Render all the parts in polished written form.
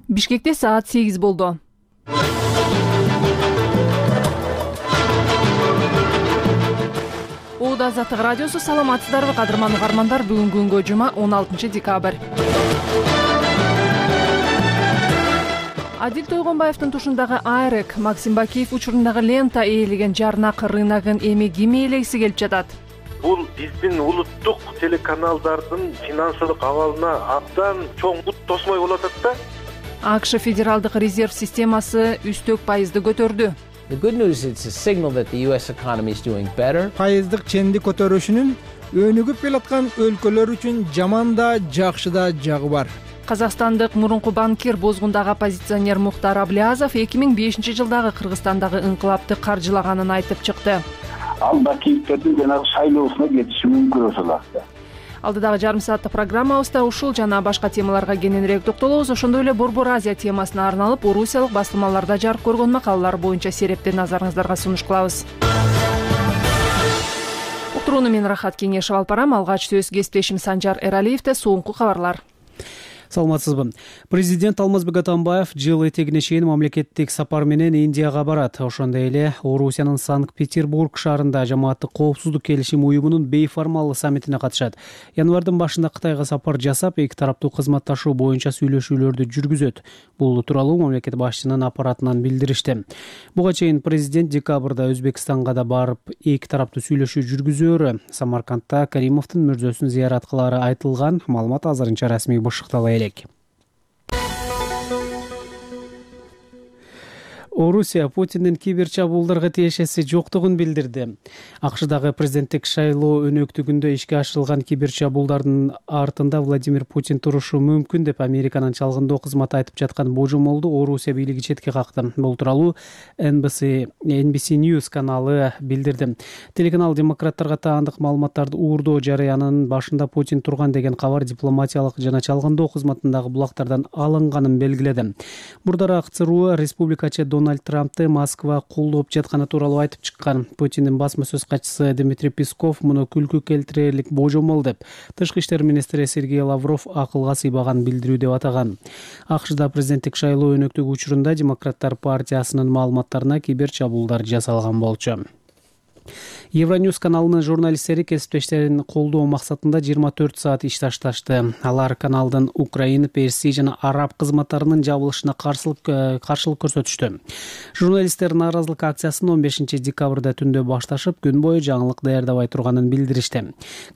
Бишкекте саат 8 болду. Оода Азаттык радиосу, саламатсыздарбы кадырман угармандар? Бүгүн күнгө жума 16 декабрь. Адил Тойгонбаевдин тушундагы Айрек, Максим Бакиев учурундагы Лента ээлеген жарнак рыногун эми ким ээлегиси келип жатат? Бул биздин улуттук телеканалдардын финансылык абалына абдан чоң бут тосмой болуп атат да. АКШ федералдык резерв системасы үстөк пайызды көтөрдү. The good news is it's a signal that the US economy is doing better. Пайыздык ченди көтөрүшүнүн өнүгүп келаткан өлкөлөр үчүн жаман да, жакшы да жагы бар. Казакстандык мурунку банкир, бозгундагы оппозиционер Мухтар Аблязов 2005 жылдагы Кыргызстандагы инкылапты каржылаганын айтып чыкты. Ал Бакиевдин жанагы шайлоосуна кетиши мүмкүн ошолакта. Алдыдагы жарым сааттык программабызда ушул жана башка темаларга кененирээк токтолобуз. Ошондой эле Борбор Азия темасына арналып, орусиялык басылмаларда жарык көргөн макалалар боюнча серепти назарыңыздарга сунуш кылабыз. Уктурууну мен Рахат Кеңешев алып барам. Алгач сөз кесиптешим Санжар Эралиевде. Соңку кабарлар. Саламатсызбы. Президент Алмазбек Атамбаев жыл этегине чейин мамлекеттик сапар менен Индияга барат. Ошондой эле Орусиянын Санкт-Петербург шаарында жамааттык коопсуздук келишим уюмунун бейформалдуу саммитине катышат. Январдын башында Кытайга сапар жасап, эки тараптуу кызматташуу боюнча сүйлөшүүлөрдү жүргүзөт. Бул тууралуу мамлекет башчынын аппаратынан билдиришти. Буга чейин президент декабрда Өзбекстанга да барып, эки тараптуу сүйлөшүү жүргүзөөрү, Самаркандта Каримовдун мөрзөсүн зыярат кылаары айтылган. Маалымат азырынча расмий бышыктала элек. Орусия Путиндин кибер чабуулдарга тиешеси жоктугун билдирди. АКШдагы президенттик шайлоо өнөктүгүндө ишке ашырылган кибер чабуулдардын артында Владимир Путин турушу мүмкүн деп Американын чалгындоо кызматы айтып жаткан божомолду Орусия бийлиги четке какты. Бул тууралуу NBC News каналы билдирди. Телеканал демократтарга таандык маалыматтарды уурдоо жарыянын башында Путин турган деген кабар дипломатиялык жана чалгындоо кызматындагы булактардан алынганын белгиледи. Мурдараак ЦРУ республикачы Дональд Трампты Москва колдоп жатканы тууралуу айтып чыккан. Путиндин басма сөз катчысы Дмитрий Песков муну күлкү келтирерлик божомол деп, Тышкы иштер министри Сергей Лавров акылга сыйбаган билдирүү деп атаган. АКШда президенттик шайлоо өнөктүгү учурунда Демократтар партиясынын маалыматтарына кибер чабуулдар жасалган болчу. Евроньюз каналынын журналисттери кесиптештерин колдоо максатында 24 саат иш ташташты. Алар каналдын Украина, Персия жана араб кызматтарынын жабылышына каршылык көрсөтүштү. Журналисттер нааразылык акциясын 15 декабрда түндө башташып, күн бою жаңылык даярдабай турганын билдиришти.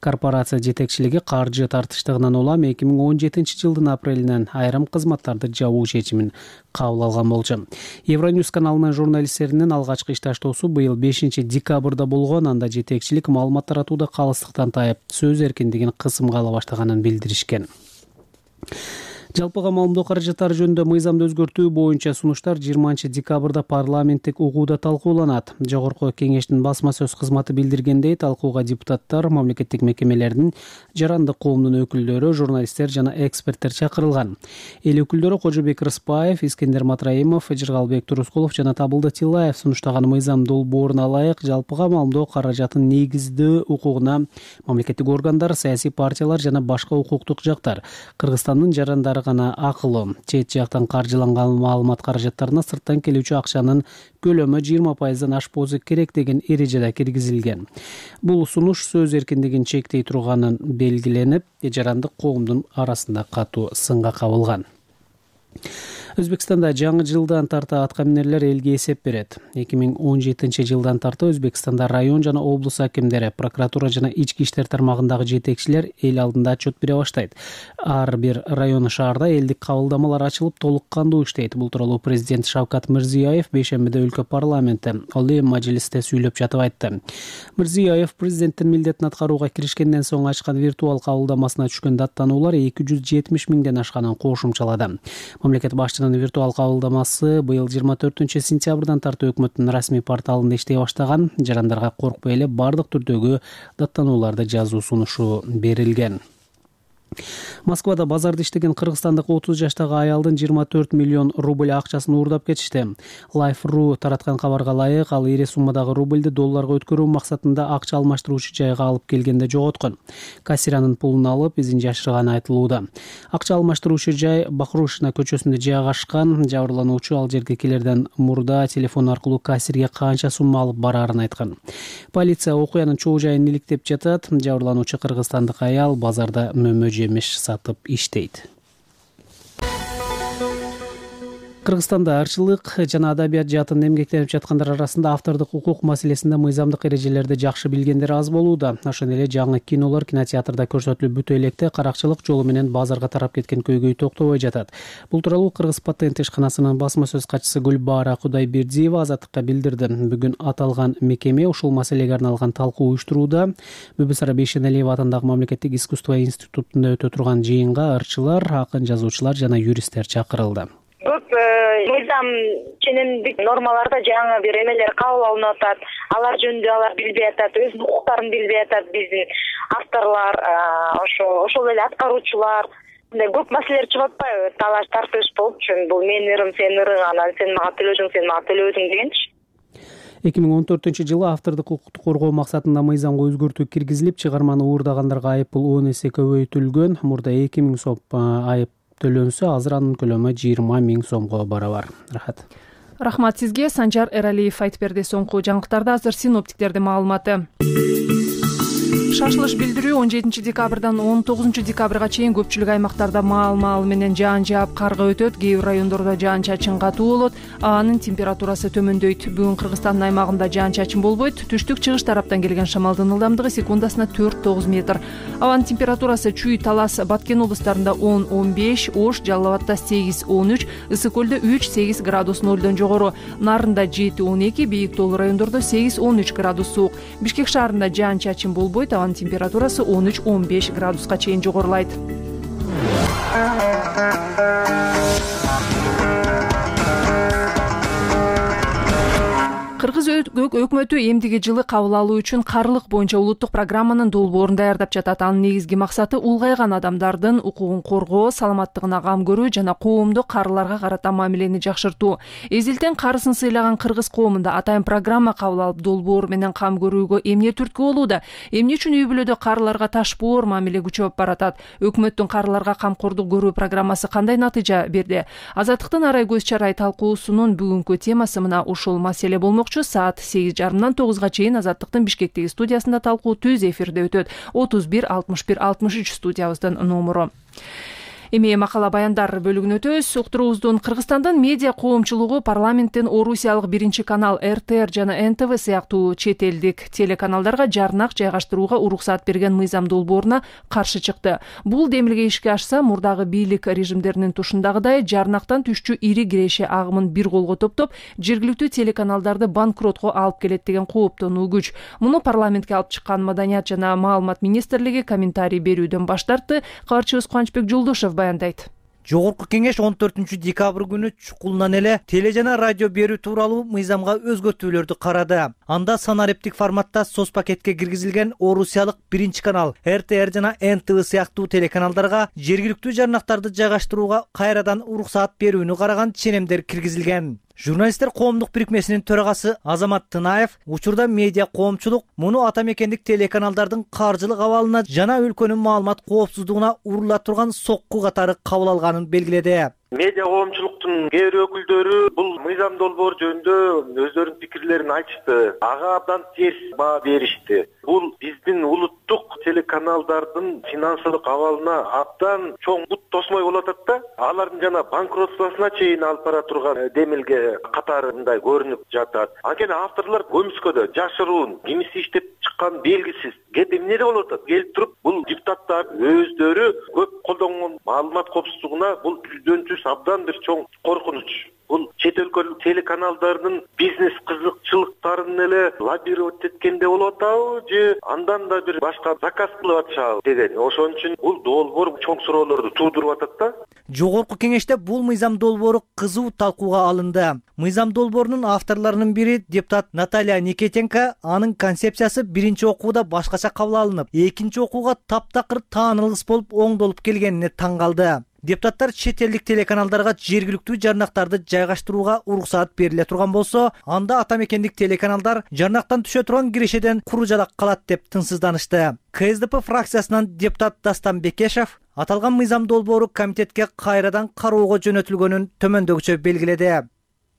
Корпорация жетекчилиги каржы тартыштыгынан улам 2017 жылдын апрелинен айрым кызматтарды жабуу чечимин кабыл алган болчу. Евроньюз каналынын журналисттеринин алгачкы иш таштоосу быйыл 5 декабрда болгон. Анда жетекчилик маалымат таратууда калыстыктан тайып, сөз эркиндигин кысымга ала баштаганын билдиришкен. Жалпыга маалымдоо каражаттары жөнүндө мыйзамды өзгөртүү боюнча сунуштар 20 декабрда парламенттик угууда талкууланат. Жогорку кеңештин басма сөз кызматы билдиргендей, талкууга депутаттар, мамлекеттик мекемелердин, жарандык коомдун өкүлдөрү, журналисттер жана эксперттер чакырылган. Эл өкүлдөрү Кожобек Рыспаев, Искендер Матраимов, Жыргалбек Турускулов жана Табылды Тилаев сунуштаган мыйзам долбооруна ылайык жалпыга маалымдоо каражатын негиздөө укугуна мамлекеттик органдар, саясий партиялар жана башка укуктук жактар, Кыргызстандын жарандары гана акылуу, чет жактан каржыланган маалымат каражаттарына сырттан келүүчү акчанын көлөмү 20%дан ашпоосу керек деген эрежеде киргизилген. Бул сунуш сөз эркиндигин чектей турганын белгиленип, жарандык коомдун арасында катуу сынга кабылган. Өзбекстанда жаңы жылдан тарта аткаминерлер элге эсеп берет. 2017 жылдан тарта Өзбекстанда район жана облус акимдери, прокуратура жана ички иштер тармагындагы жетекчилер эл алдында отчет бере баштайт. Ар бир район шаарда элдик кабылдамалар ачылып, толук кандуу иштейт. Бул тууралуу президент Шавкат Мирзиёев бейшембиде өлкө парламенти Олий Мажилисте сүйлөп жатып айтты. Мирзиёев президенттин милдетин аткарууга киришкенден соң ачкан виртуал кабылдамасына түшкөн даттануулар 270 миңден ашканын кошумчалады. Мамлекет башчынын виртуал кабылдамасы быйыл 24 сентябрдан тарта өкмөттүн расмий порталында иштей баштаган. Жарандарга коркпой эле бардык түрдөгү даттанууларды жазуу сунушу берилген. Москвада базарда иштеген кыргызстандык 30 жаштагы аялдын 24 миллион рубль акчасын уурдап кетишти. Life.ru тараткан кабарга ылайык, ал ири суммадагы рубльди долларга өткөрүү максатында акча алмаштыруучу жайга алып келгенде жоготкон. Кассиранын пулун алып, изин жашырганы айтылууда. Акча алмаштыруучу жай Бахрушина көчөсүндө жайгашкан. Жабырлануучу ал жерге келерден мурда телефон аркылуу кассирге канча сумма алып бараарын айткан. Полиция окуянын чоо жайын иликтеп жатат. Жабырлануучу кыргызстандык аял базарда мөмө жемиш сатып иштейт. Кыргызстанда ырчылык жана адабият жаатын эмгектенип жаткандар арасында автордук укук маселесинде мыйзамдык эрежелерди жакшы билгендер аз болууда. Ошондой эле жаңы кинолор кинотеатрда көрсөтүлүп бүтө электе каракчылык жолу менен базарга тарап кеткен көйгөй токтобой жатат. Бул тууралуу Кыргыз патент ишканасынын басма сөз катчысы Гүлбаара Кудайбердиева Азаттыкка билдирди. Бүгүн аталган мекеме ушул маселеге арналган талкуу уюштурууда. Бүбүсара Бейшеналиева атындагы мамлекеттик искусство институтунда өтө турган жыйынга ырчылар, акын жазуучулар жана юристтер чакырылды. Көп мыйзам ченемдик нормаларда жаңы бир эмелер кабыл алынып атат. Алар жөнүндө алар билбей атат, өз укуктарын билбей атат биздин авторлор, ошол эле аткаруучулар. Мындай көп маселелер чыгып атпайбы? Талаш тартыш болуп, бул менин ырым, сенин ырың, анан сен мага төлөдүң, сен мага төлөбөдүң дегенчи. 2014-жылы автордук укукту коргоо максатында мыйзамга өзгөртүү киргизилип, чыгарманы уурдагандарга айыппул 10 эсе көбөйтүлгөн. Мурда 2000 сом айып төлөнсө, азыр анын көлөмү 20 000 сомго барабар. Рахат. Рахмат сизге. Санжар Эралиев айтып берди. Соңку жаңылыктарда азыр синоптиктердин маалыматы. Шашылыш билдирүү 17 декабрдан 19 декабрга чейин көпчүлүк аймактарда маал менен жаан жаап карга өтөт. Кээ бир райондордо жаан чачын катуу болот. Анын температурасы төмөндөйт. Бүгүн Кыргызстандын аймагында жаан чачын болбойт. Түштүк чыгыш тараптан келген шамалдын ылдамдыгы секундасына 4-9 метр. Абанын температурасы Чүй, Талас, Баткен облустарында 10-15, Ош, Жалал Абадта 8-13, Ысык көлдө 3-8 градус нөлдөн жогору, Нарында 7-12, Бийик тоолуу райондордо 8-13 градус суук. Бишкек шаарында жаан чачын болбойт. Абанын температурасы 13-15 градуска чейин жогорулайт. Кыргыз өкмөтү эмдиги жылы кабыл алуу үчүн карылык боюнча улуттук программанын долбоорун даярдап жатат. Анын негизги максаты улгайган адамдардын укугун коргоо, саламаттыгына кам көрүү жана коомдо карыларга карата мамилени жакшыртуу. Эзилтен карысын сыйлаган кыргыз коомунда атайын программа кабыл алып, долбоор менен кам көрүүгө эмне түрткү болууда? Эмне үчүн үй бүлөдө карыларга ташпоор мамиле күчөп баратат? Өкмөттүн карыларга камкордук көрүү программасы кандай натыйжа берди? Азаттыктын арай көз чарай талкуусунун бүгүнкү темасы мына ушул маселе болмок. Саат 8:30-дан 9-га чейин Азаттыктын Бишкектеги студиясында талкуу түз эфирде өтөт. 31 61 63 студиябыздын номуру. Эми макала баяндар бөлүгүнө өтөбүз. Уктуруубуздун Кыргызстандын медиа коомчулугу парламенттин Орусиялык биринчи канал РТР жана НТВ сыяктуу чет элдик телеканалдарга жарнак жайгаштырууга уруксат берген мыйзам долбооруна каршы чыкты. Бул демилге ишке ашса, мурдагы бийлик режимдеринин тушундагыдай жарнактан түшчү ири киреше агымын бир колго топтоп, жергиликтүү телеканалдарды банкротко алып келет деген кооптонуу күч. Муну парламентке алып чыккан Маданият жана маалымат министрлиги комментарий берүүдөн баш тартты. Кабарчыбыз Кубанычбек Жолдошев баяндайт. Жогорку кеңеш 14 декабрь күнү чукулунан эле теле жана радио берүү тууралуу мыйзамга өзгөртүүлөрдү карады. Анда санариптик форматта соц пакетке киргизилген Орусиялык биринчи канал РТР жана НТВ сыяктуу телеканалдарга жергиликтүү жарнактарды жайгаштырууга кайрадан уруксаат берүүнү караган ченемдер киргизилген. Журналисттер коомдук бирикмесинин төрагасы Азамат Тынаев учурда медиа коомчулук муну ата мекендик телеканалдардын каржылык абалына жана өлкөнүн маалымат коопсуздугуна урула турган сокку катары кабыл алганын белгиледи. Медиа коомчулуктун кээ бир өкүлдөрү бул мыйзам долбоор жөнүндө өздөрүнүн пикирлерин айтышты. Ага абдан терс баа беришти. Бул биздин улуттук телеканалдардын финансылык абалына абдан чоң бут тосмой болуп атат да. Алардын жана банкротствосуна чейин алып бара турган демилге катары мындай көрүнүп жатат. Анткени авторлор көмүскөдө жашыруун, кимиси иштеп чыккан белгисиз. Кеп эмнеде болуп атат? Келип туруп бул депутаттар өздөрү көп колдонгон маалымат коопсуздугуна бул жүздөн жүз абдан бир чоң коркунуч. Бул чет өлкөлүк телеканалдардын бизнес кызыкчылыктарын эле лоббировать эткенде болуп атабы же андан да бир башка заказ кылып атышабы деген. Ошон үчүн бул долбоор чоң суроолорду туудуруп атат да. Жогорку кеңеште бул мыйзам долбоору кызуу талкууга алынды. Мыйзам долбоорунун авторлорунун бири депутат Наталья Никитенко анын концепциясы биринчи окууда башкача кабыл алынып, экинчи окууга таптакыр таанылгыс болуп оңдолуп келгенине таң калды. Депутаттар чет элдик телеканалдарга жергиликтүү жарнактарды жайгаштырууга уруксаат бериле турган болсо, анда ата мекендик телеканалдар жарнактан түшө турган кирешеден куружалак калат деп тынчсызданышты. КСДП фракциясынан депутат Дастан Бекешев аталган мыйзам долбоору комитетке кайрадан кароого жөнөтүлгөнүн төмөндөгүчө белгиледи.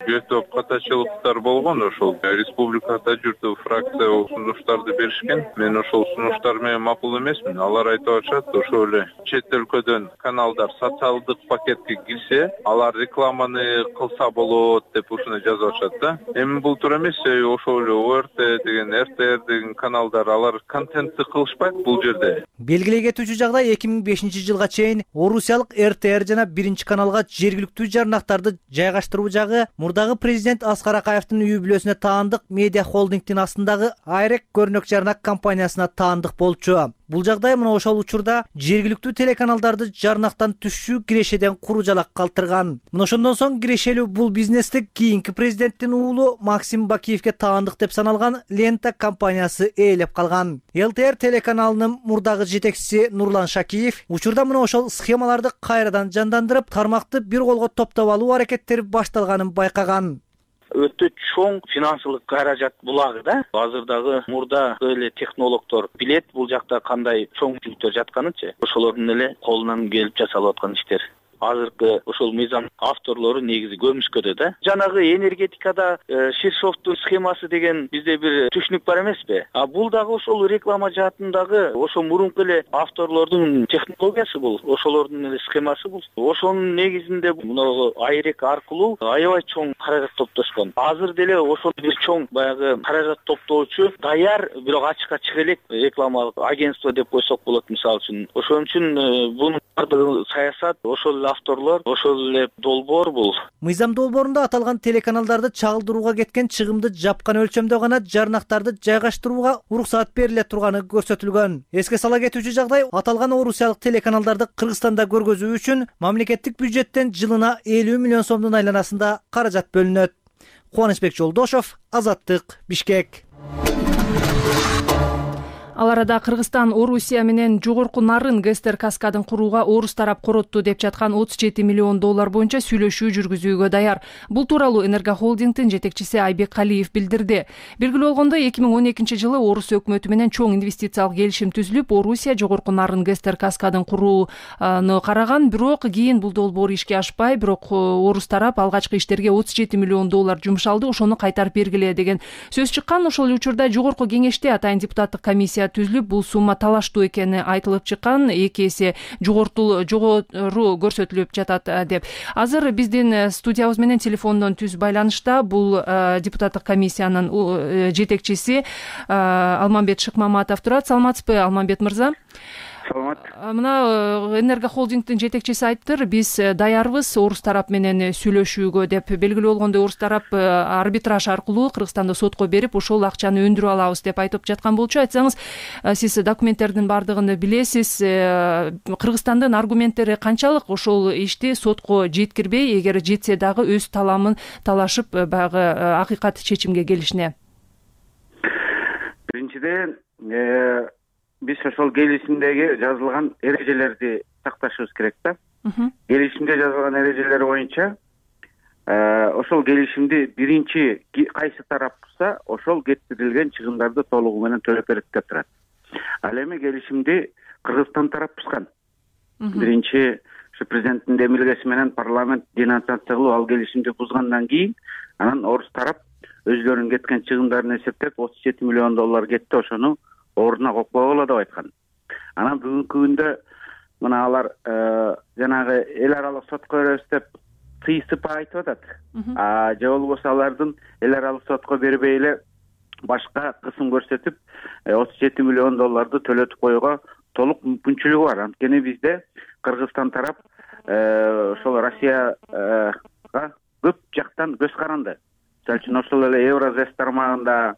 Өтө катачылыктар болгон, ошол республикада жүрдү фракция сунуштарды беришкен. Мен ошол сунуштар менен макул эмесмин. Алар айтып атышат, ошол эле чет өлкөдөн каналдар социалдык пакетке кирсе, алар рекламаны кылса болот деп ушуну жазып атышат да. Эми бул туура эмес, ошол эле ОРТ деген, РТР деген каналдар алар контентти кылышпайт бул жерде. Белгилей кетүүчү жагдай 2005-жылга чейин Орусиялык РТР жана 1-каналга жергиликтүү жарнактарды жайгаштыруу жагы мурдагы президент Аскар Акаевдин үй бүлөсүнө таандык медиа холдингдин астындагы Айрек көрнөк жарнак компаниясына таандык болчу. Бул жагдай мына ошол учурда жергиликтүү телеканалдарды жарнактан түшүү кирешеден куружалак калтырган. Мына ошондон соң кирешелүү бул бизнести кийинки президенттин уулу Максим Бакиевке таандык деп саналган Лента компаниясы ээлеп калган. ЛТР телеканалынын мурдагы жетекчиси Нурлан Шакиев учурда мына ошол схемаларды кайрадан жандандырып, тармакты бир колго топтоп алуу аракеттери башталганын байкаган. Өтө чоң финансылык каражат булагы да. Азырдагы мурда эле технологдор билет бул жакта кандай чоң жүктөр жатканынчы. Ошолордун эле колунан келип жасалып аткан иштер. Азыркы ошол мыйзам авторлору негизи көмүшкөдө да. Жанагы энергетикада Ширшовдун схемасы деген бизде бир түшүнүк бар эмеспи? А бул дагы ошол реклама жаатындагы ошо мурунку эле авторлордун технологиясы бул, ошолордун эле схемасы бул. Ошонун негизинде мына Айрек аркылуу аябай чоң каражат топтошкон. Азыр деле ошол бир чоң баягы каражат топтоочу даяр, бирок ачыкка чыга элек рекламалык агентство деп койсок болот мисалы үчүн. Ошон үчүн бунун бардыгы саясат, ошол авторлор, ошол эле долбоор бул. Мыйзам долбоорунда аталган телеканалдарды чагылдырууга кеткен чыгымды жапкан өлчөмдө гана жарнактарды жайгаштырууга уруксаат бериле турганы көрсөтүлгөн. Эске сала кетүүчү жагдай, аталган орусиялык телеканалдарды Кыргызстанда көргөзүү үчүн мамлекеттик бюджеттен жылына 50 миллион сомдун айланасында каражат бөлүнөт. Кубанычбек Жолдошов, Азаттык, Бишкек. Ал арада Кыргызстан Орусия менен жогорку нарын Гестер каскадын курууга орус тарап коротту деп жаткан 37 миллион доллар боюнча сүйлөшүү жүргүзүүгө даяр. Бул тууралуу Энергохолдингдин жетекчиси Айбек Калиев билдирди. Белгилүү болгондой, 2012-жылы орус өкмөтү менен чоң инвестициялык келишим түзүлүп, Орусия жогорку нарын Гестер каскадын курууну караган, бирок кийин бул долбоор ишке ашпай, бирок орус тарап алгачкы иштерге 37 миллион доллар жумшалды, ошону кайтарып бергиле деген сөз чыккан. Ошол учурда жогорку кеңеште атайын депутаттык комиссия түзүлүп, бул сумма талаштуу экени айтылып чыккан, 2 эсе жогору көрсөтүлүп жатат деп. Азыр биздин студиябыз менен телефондон түз байланышта бул депутаттык комиссиянын жетекчиси Алмамбет Шыкмаматов турат. Саламатсызбы, Алмамбет мырза? Саламат. Мына Энергохолдингдин жетекчиси айттыр, биз даярбыз орус тарап менен сүйлөшүүгө деп. Белгилүү болгондой, орус тарап арбитраж аркылуу Кыргызстанды сотко берип, ошол акчаны өндүрүп алабыз деп айтып жаткан болчу. Айтсаңыз, сиз документтердин бардыгын билесиз. Кыргызстандын аргументтери канчалык ошол ишти сотко жеткирбей, эгер жетсе дагы өз таламын талашып, баягы акыйкат чечимге келишине? Биринчиден, биз ошол келишимдеги жазылган эрежелерди сакташыбыз керек да. Келишимде жазылган эрежелер боюнча ошол келишимди биринчи кайсы тарап бузса, ошол кетирилген чыгымдарды толугу менен төлөп берет деп турат. Ал эми келишимди Кыргызстан тарап бузган. Биринчи ушу президенттин демилгеси менен парламент денонсация кылып, ал келишимди бузгандан кийин, анан орус тарап өзлөрүнүн кеткен чыгымдарын эсептеп 37 миллион доллар кетти, ошону ордуна коюп койгула деп айткан. Анан бүгүнкү күндө мына алар жанагы эл аралык сотко беребиз деп тыйсып айтып атат. Же болбосо алардын эл аралык сотко бербей эле башка кысым көрсөтүп 37 миллион долларды төлөтүп коюуга толук мүмкүнчүлүгү бар. Анткени бизде Кыргызстан тарап ошол Россияга көп жактан көз каранды. Мисалы үчүн ошол эле Евразес тармагында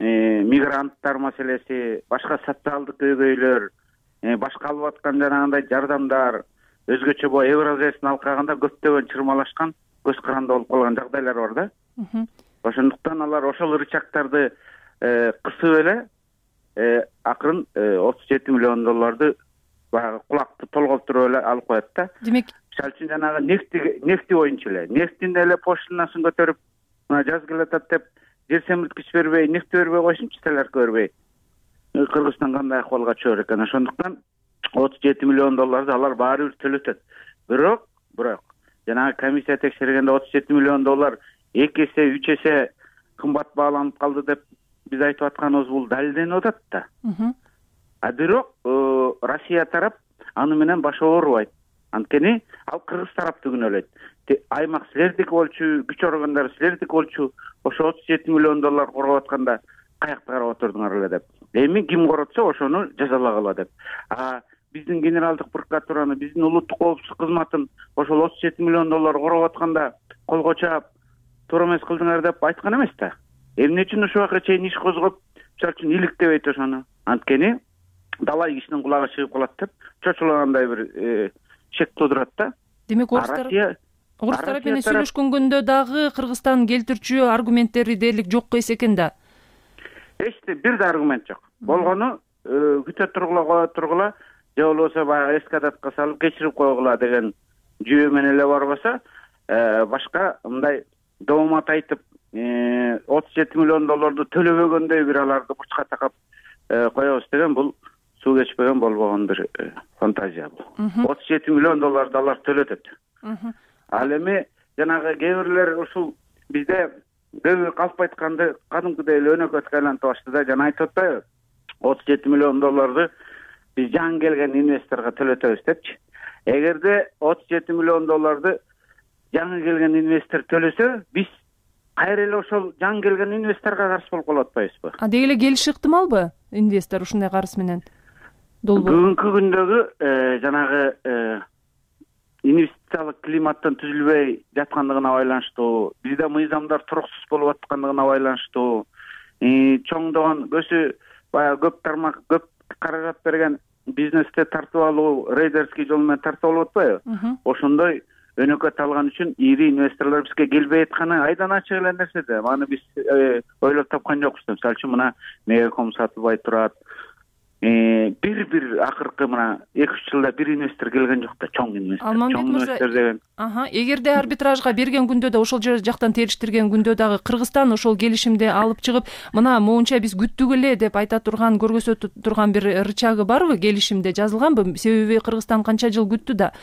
мигранттар маселеси, башка социалдык көйгөйлөр, башка алып аткан жанагындай жардамдар, өзгөчө бул Евразестин алкагында көптөгөн чырмалашкан, көз каранды болуп калган жагдайлар бар да. Ошондуктан алар ошол рычагтарды кысып эле акырын 37 миллион долларды баягы кулакты толголтуруп эле алып коет да. Демек, мисалы үчүн жанагы нефти боюнча эле нефтин эле пошлинасын көтөрүп, мына жаз келатат деп жер семирткич бербей, нефт бербей койсунчу, столярка бербей. Кыргызстан кандай акыбалга түшөр экен? Ошондуктан 37 миллион долларды алар баары бир төлөтөт. Бирок жанагы комиссия текшергенде 37 миллион доллар 2 эсе, 3 эсе кымбат бааланып калды деп биз айтып атканыбыз бул далилденип атат да. Бирок Россия тарап аны менен баш оорубайт. Анткени ал кыргыз тарапты күнөөлөйт. Аймак силердики болчу, күч органдары силердики болчу, ошо 37 миллион доллар короп атканда каякта карап отурдуңар эле деп. Эми ким коротсо ошону жазалагыла деп. Биздин генералдык прокуратураны, биздин улуттук коопсуздук кызматын ошол 37 миллион доллар короп атканда колго чаап туура эмес кылдыңар деп айткан эмес да. Эмне үчүн ушул убакка чейин иш козгоп, мисалы үчүн иликтебейт ошону? Анткени далай кишинин кулагы чыгып калат деп чочулагандай бир шек туудурат да. Демек, орус тарап менен сүйлөшкөнгөндө дагы Кыргызстан келтирчү аргументтери дээрлик жок экен да. Эчте бир да аргумент жок. Болгону күтө тургула, же болбосо баягы эскадатка салып кечирип койгула деген жүйө менен эле барбаса, башка мындай доомат айтып 37 миллион долларды төлөбөгөндөй бир аларды бурчка такап коебуз деген бул суу кечпеген болбогон бир фантазия бул. 37 миллион долларды алар төлөтөт. Ал эми жанагы кээ бирлер ушул бизде көбү калп айтканды кадимкидей эле өнөкөткө айлантып башты да. Жана айтып атпайбы, 37 миллион долларды биз жаңы келген инвесторго төлөтөбүз депчи. Эгерде 37 миллион долларды жаңы келген инвестор төлөсө, биз кайра эле ошол жаңы келген инвесторго каршы болуп калып атпайбызбы? Деги эле келиши ыктымалбы инвестор ушундай карыз менен? Бүгүнкү күндөгү жанагы инвестициялык климаттын түзүлбөй жаткандыгына байланыштуу, бизде мыйзамдар туруксуз болуп аткандыгына байланыштуу, чоңдогон көсү баягы көп тармак, көп каражат берген бизнесте тартып алуу, рейдерский жол менен тартып алып атпайбы? Ошондой өнөкөт алган үчүн ири инвесторлор бизге келбей атканы айдан ачык эле нерсе да. Аны биз ойлоп тапкан жокпуз. Мисалы үчүн мына Мегаком сатылбай турат. Бир акыркы мына 2-3 жылда бир инвестор келген жок да, чоң инвестор. Алмамбет мырза, эгерде арбитражга берген күндө да, ошол жактан териштирген күндө дагы Кыргызстан ошол келишимди алып чыгып, мына моунча биз күттүк эле деп айта турган, көргөзө турган бир рычагы барбы, келишимде жазылганбы? Себеби Кыргызстан канча жыл күттү да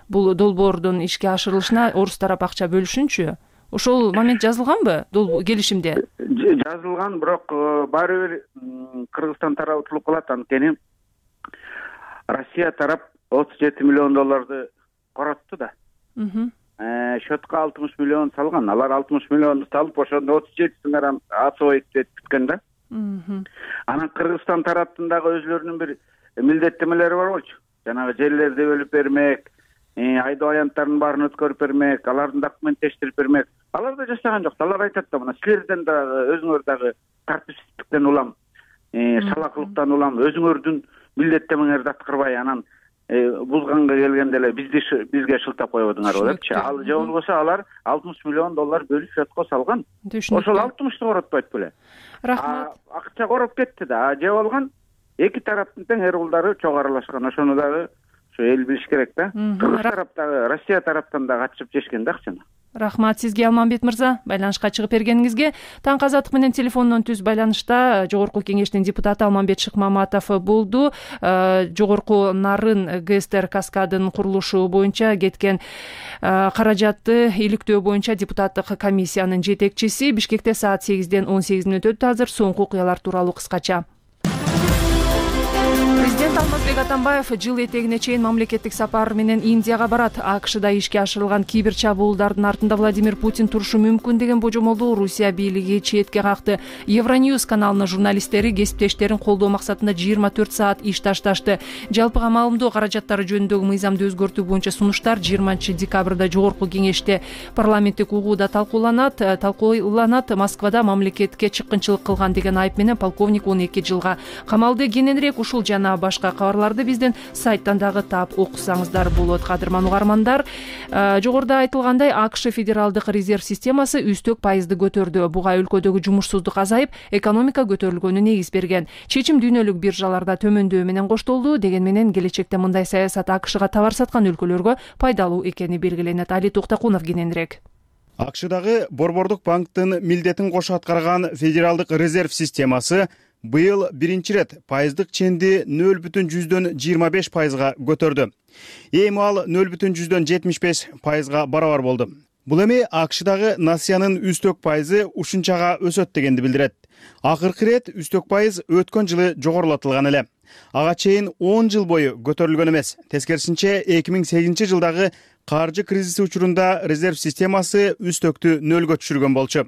бул долбоордун ишке ашырылышына орус тарап акча бөлүшүнчү. Ошол момент жазылганбы келишимде? Жазылган, бирок баары бир Кыргызстан тарабы утулуп калат. Анткени Россия тарап 37 миллион долларды коротту да. Счетко 60 миллион салган. Алар 60 миллионду салып, ошондо 37-син ачып бүткөн да. Анан Кыргызстан тараптын дагы өзлөрүнүн бир милдеттемелери бар болчу. Жанагы жерлерди бөлүп бермек, айдоо аянттарын баарын өткөрүп бермек, алардын документтештирип бермек. Алар да жашаган жок. Алар айтат да, мына силерден дагы, өзүңөр дагы тартипсиздиктен улам, салакылыктан улам, өзүңөрдүн милдеттемеңерди аткарбай, анан бузганга келгенде эле бизге шылтап коебодуңар депчи. Ал же болбосо алар 60 миллион доллар бөлүп счетко салган. Ошол 60-ты коротпойт беле. Рахмат. Акча короп кетти да. Же болгон эки тараптын тең эр-кулдары чогуу аралашкан. Ошону дагы эл билиш керек да. Кыргыз тараптагы, Россия тараптан да катышып жешкен да акчаны. Рахмат сизге, Алмамбет мырза, байланышка чыгып бергениңизге. Таңкы азаттык менен телефондон түз байланышта Жогорку Кеңештин депутаты Алмамбет Шыкмаматов болду. Жогорку Нарын ГСТР каскадын курулушу боюнча кеткен каражатты иликтөө боюнча депутаттык комиссиянын жетекчиси. Бишкекте саат 8-ден 18 өтөт. Азыр соңку окуялар тууралуу кыскача. Президент Алмазбек Атамбаев жыл этегине чейин мамлекеттик сапар менен Индияга барат. АКШда ишке ашырылган кибер чабуулдардын артында Владимир Путин турушу мүмкүн деген божомолду Русия бийлиги четке какты. Евроньюз каналынын журналисттери кесиптештерин колдоо максатында 24 саат иш ташташты. Жалпыга маалымдоо каражаттары жөнүндөгү мыйзамды өзгөртүү боюнча сунуштар 20-декабрда Жогорку Кеңеште парламенттик угууда талкууланат. Москвада мамлекетке чыккынчылык кылган деген айып менен полковник 12 жылга камалды. Кененирээк ушул жана башка башка кабарларды биздин сайттан дагы таап окусаңыздар болот. Кадырман угармандар, жогоруда айтылгандай АКШ федералдык резерв системасы үстөк пайызды көтөрдү. Буга өлкөдөгү жумушсуздук азайып, экономика көтөрүлгөнү негиз берген. Чечим дүйнөлүк биржаларда төмөндөө менен коштолду. Деген менен келечекте мындай саясат АКШга товар саткан өлкөлөргө пайдалуу экени белгиленет. Али Токтакунов кененирээк. АКШдагы Борбордук банктын милдетин кошо аткарган федералдык резерв системасы быйыл биринчи рет пайыздык ченди 0,25% көтөрдү. Эми ал 0,75%га барабар болду. Бул эми АКШдагы насыянын үстөк пайызы ушунчага өсөт дегенди билдирет. Акыркы рет үстөк пайыз өткөн жылы жогорулатылган эле. Ага чейин 10 жыл бою көтөрүлгөн эмес. Тескерисинче 2008 жылдагы каржы кризиси учурунда резерв системасы үстөктү нөлгө түшүргөн болчу.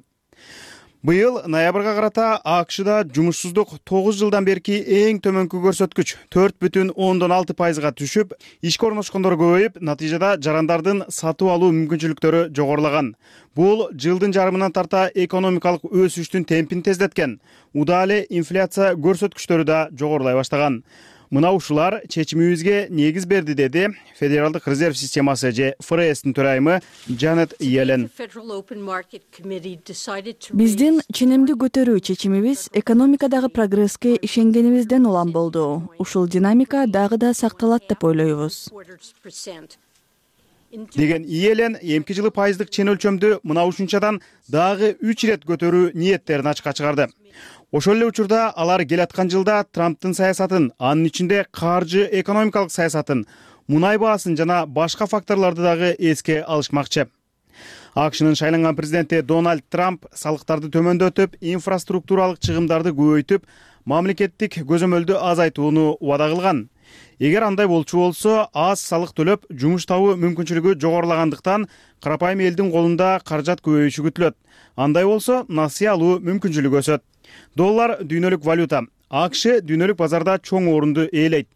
Быйыл ноябрга карата АКШда жумушсуздук 9 жылдан берки эң төмөнкү көрсөткүч 4,6%га түшүп, ишке орношкондор көбөйүп, натыйжада жарандардын сатып алуу мүмкүнчүлүктөрү жогорулаган. Бул жылдын жарымынан тарта экономикалык өсүштүн темпин тездеткен. Удаа эле инфляция көрсөткүчтөрү да жогорулай баштаган. Мына ушулар чечимибизге негиз берди, деди Федералдык резерв системасы же ФРСтин төрайымы Джанет Йеллен. Биздин ченемди көтөрүү чечимибиз экономикадагы прогресске ишенгенибизден улам болду. Ушул динамика дагы да сакталат деп ойлойбуз. Деген Йеллен эмки жылы пайыздык чен өлчөмдү мына ушунчадан дагы 3 рет көтөрүү ниеттерин ачыкка чыгарды. Ошол эле учурда алар келаткан жылда Трамптын саясатын, анын ичинде каржы экономикалык саясатын, мунай баасын жана башка факторлорду дагы эске алышмакчы. АКШнын шайланган президенти Дональд Трамп салыктарды төмөндөтүп, инфраструктуралык чыгымдарды көбөйтүп, мамлекеттик көзөмөлдү азайтууну убада кылган. Эгер андай болчу болсо, аз салык төлөп, жумуш табуу мүмкүнчүлүгү жогорулагандыктан карапайым элдин колунда каражат көбөйүшү күтүлөт. Андай болсо, насыя алуу мүмкүнчүлүгү өсөт. Доллар дүйнөлүк валюта. АКШ дүйнөлүк базарда чоң орунду ээлейт.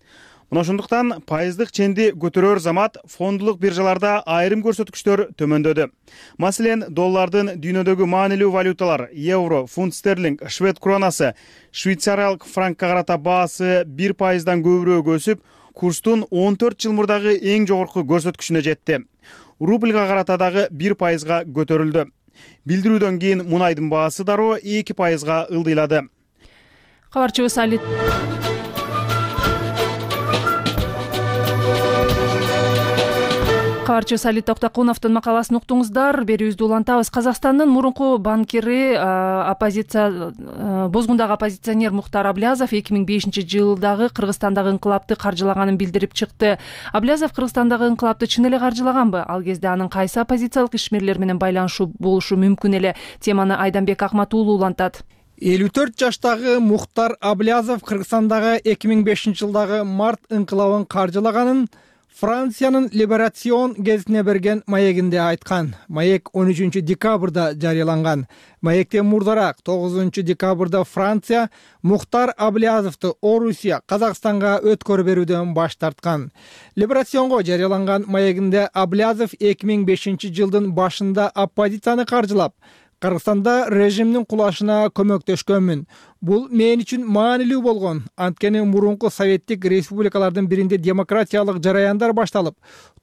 Мына ошондуктан пайыздык ченди көтөрөр замат фондулук биржаларда айрым көрсөткүчтөр төмөндөдү. Маселен, доллардын дүйнөдөгү маанилүү валюталар евро, фунт стерлинг, швед кронасы, швейцариялык франкка карата баасы 1%дан көбүрөөк өсүп, курстун 14 жыл мурдагы эң жогорку көрсөткүчүнө жетти. Рубльга карата дагы 1%га көтөрүлдү. Билдирүүдөн кийин мунайдын баасы дароо 2%га ылдыйлады. Кабарчыбыз Али Токтакуновдун макаласын уктуңуздар. Берүүбүздү улантабыз. Казакстандын мурунку банкири, Бозгундагы оппозиционер Мухтар Аблязов 2005 жылдагы Кыргызстандагы инкылапты каржылаганын билдирип чыкты. Аблязов Кыргызстандагы инкылапты чын эле каржылаганбы? Ал кезде анын кайсы оппозициялык ишмерлер менен байланышы болушу мүмкүн эле? Теманы Айданбек Акмат уулу улантат. 54 жаштагы Мухтар Аблязов Кыргызстандагы 2005 жылдагы март инкылабын каржылаганын Франциянын Либерацион гезитине берген маегинде айткан. Маек 13 декабрда жарыяланган. Маектен мурдараак 9 декабрда Франция Мухтар Аблязовду Орусия, Казакстанга өткөрүп берүүдөн баш тарткан. Либерационго жарыяланган маегинде Аблязов 2005 жылдын башында оппозицияны каржылап, Кыргызстанда режимдин кулашына көмөктөшкөнмүн. Бул мен үчүн маанилүү болгон. Анткени мурунку советтик республикалардын биринде демократиялык жараяндар башталып,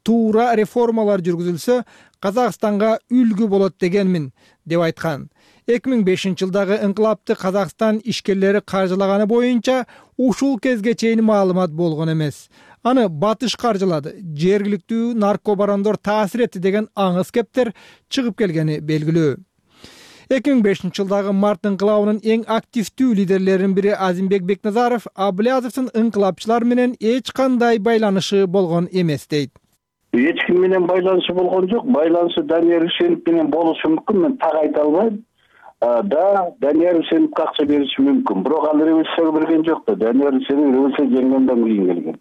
туура реформалар жүргүзүлсө, Казакстанга үлгү болот дегенмин, деп айткан. 2005 жылдагы инкылапты Казакстан ишкерлери каржылаганы боюнча ушул кезге чейин маалымат болгон эмес. Аны батыш каржылады, жергиликтүү наркобарондор таасир этти деген аңыз кептер чыгып келгени белгилүү. 2005 жылдагы март инкылабынын эң активдүү лидерлеринин бири Азимбек Бекназаров Аблязовдун инкылапчылар менен эч кандай байланышы болгон эмес дейт. Эч ким менен байланышы болгон жок. Байланышы Данияр Үсенов менен болушу мүмкүн, мен так айта албайм. Данияр Үсеновго акча бериши мүмкүн. Бирок ал революцияга берген жок да. Данияр Үсенов революция жеңгенден кийин келген.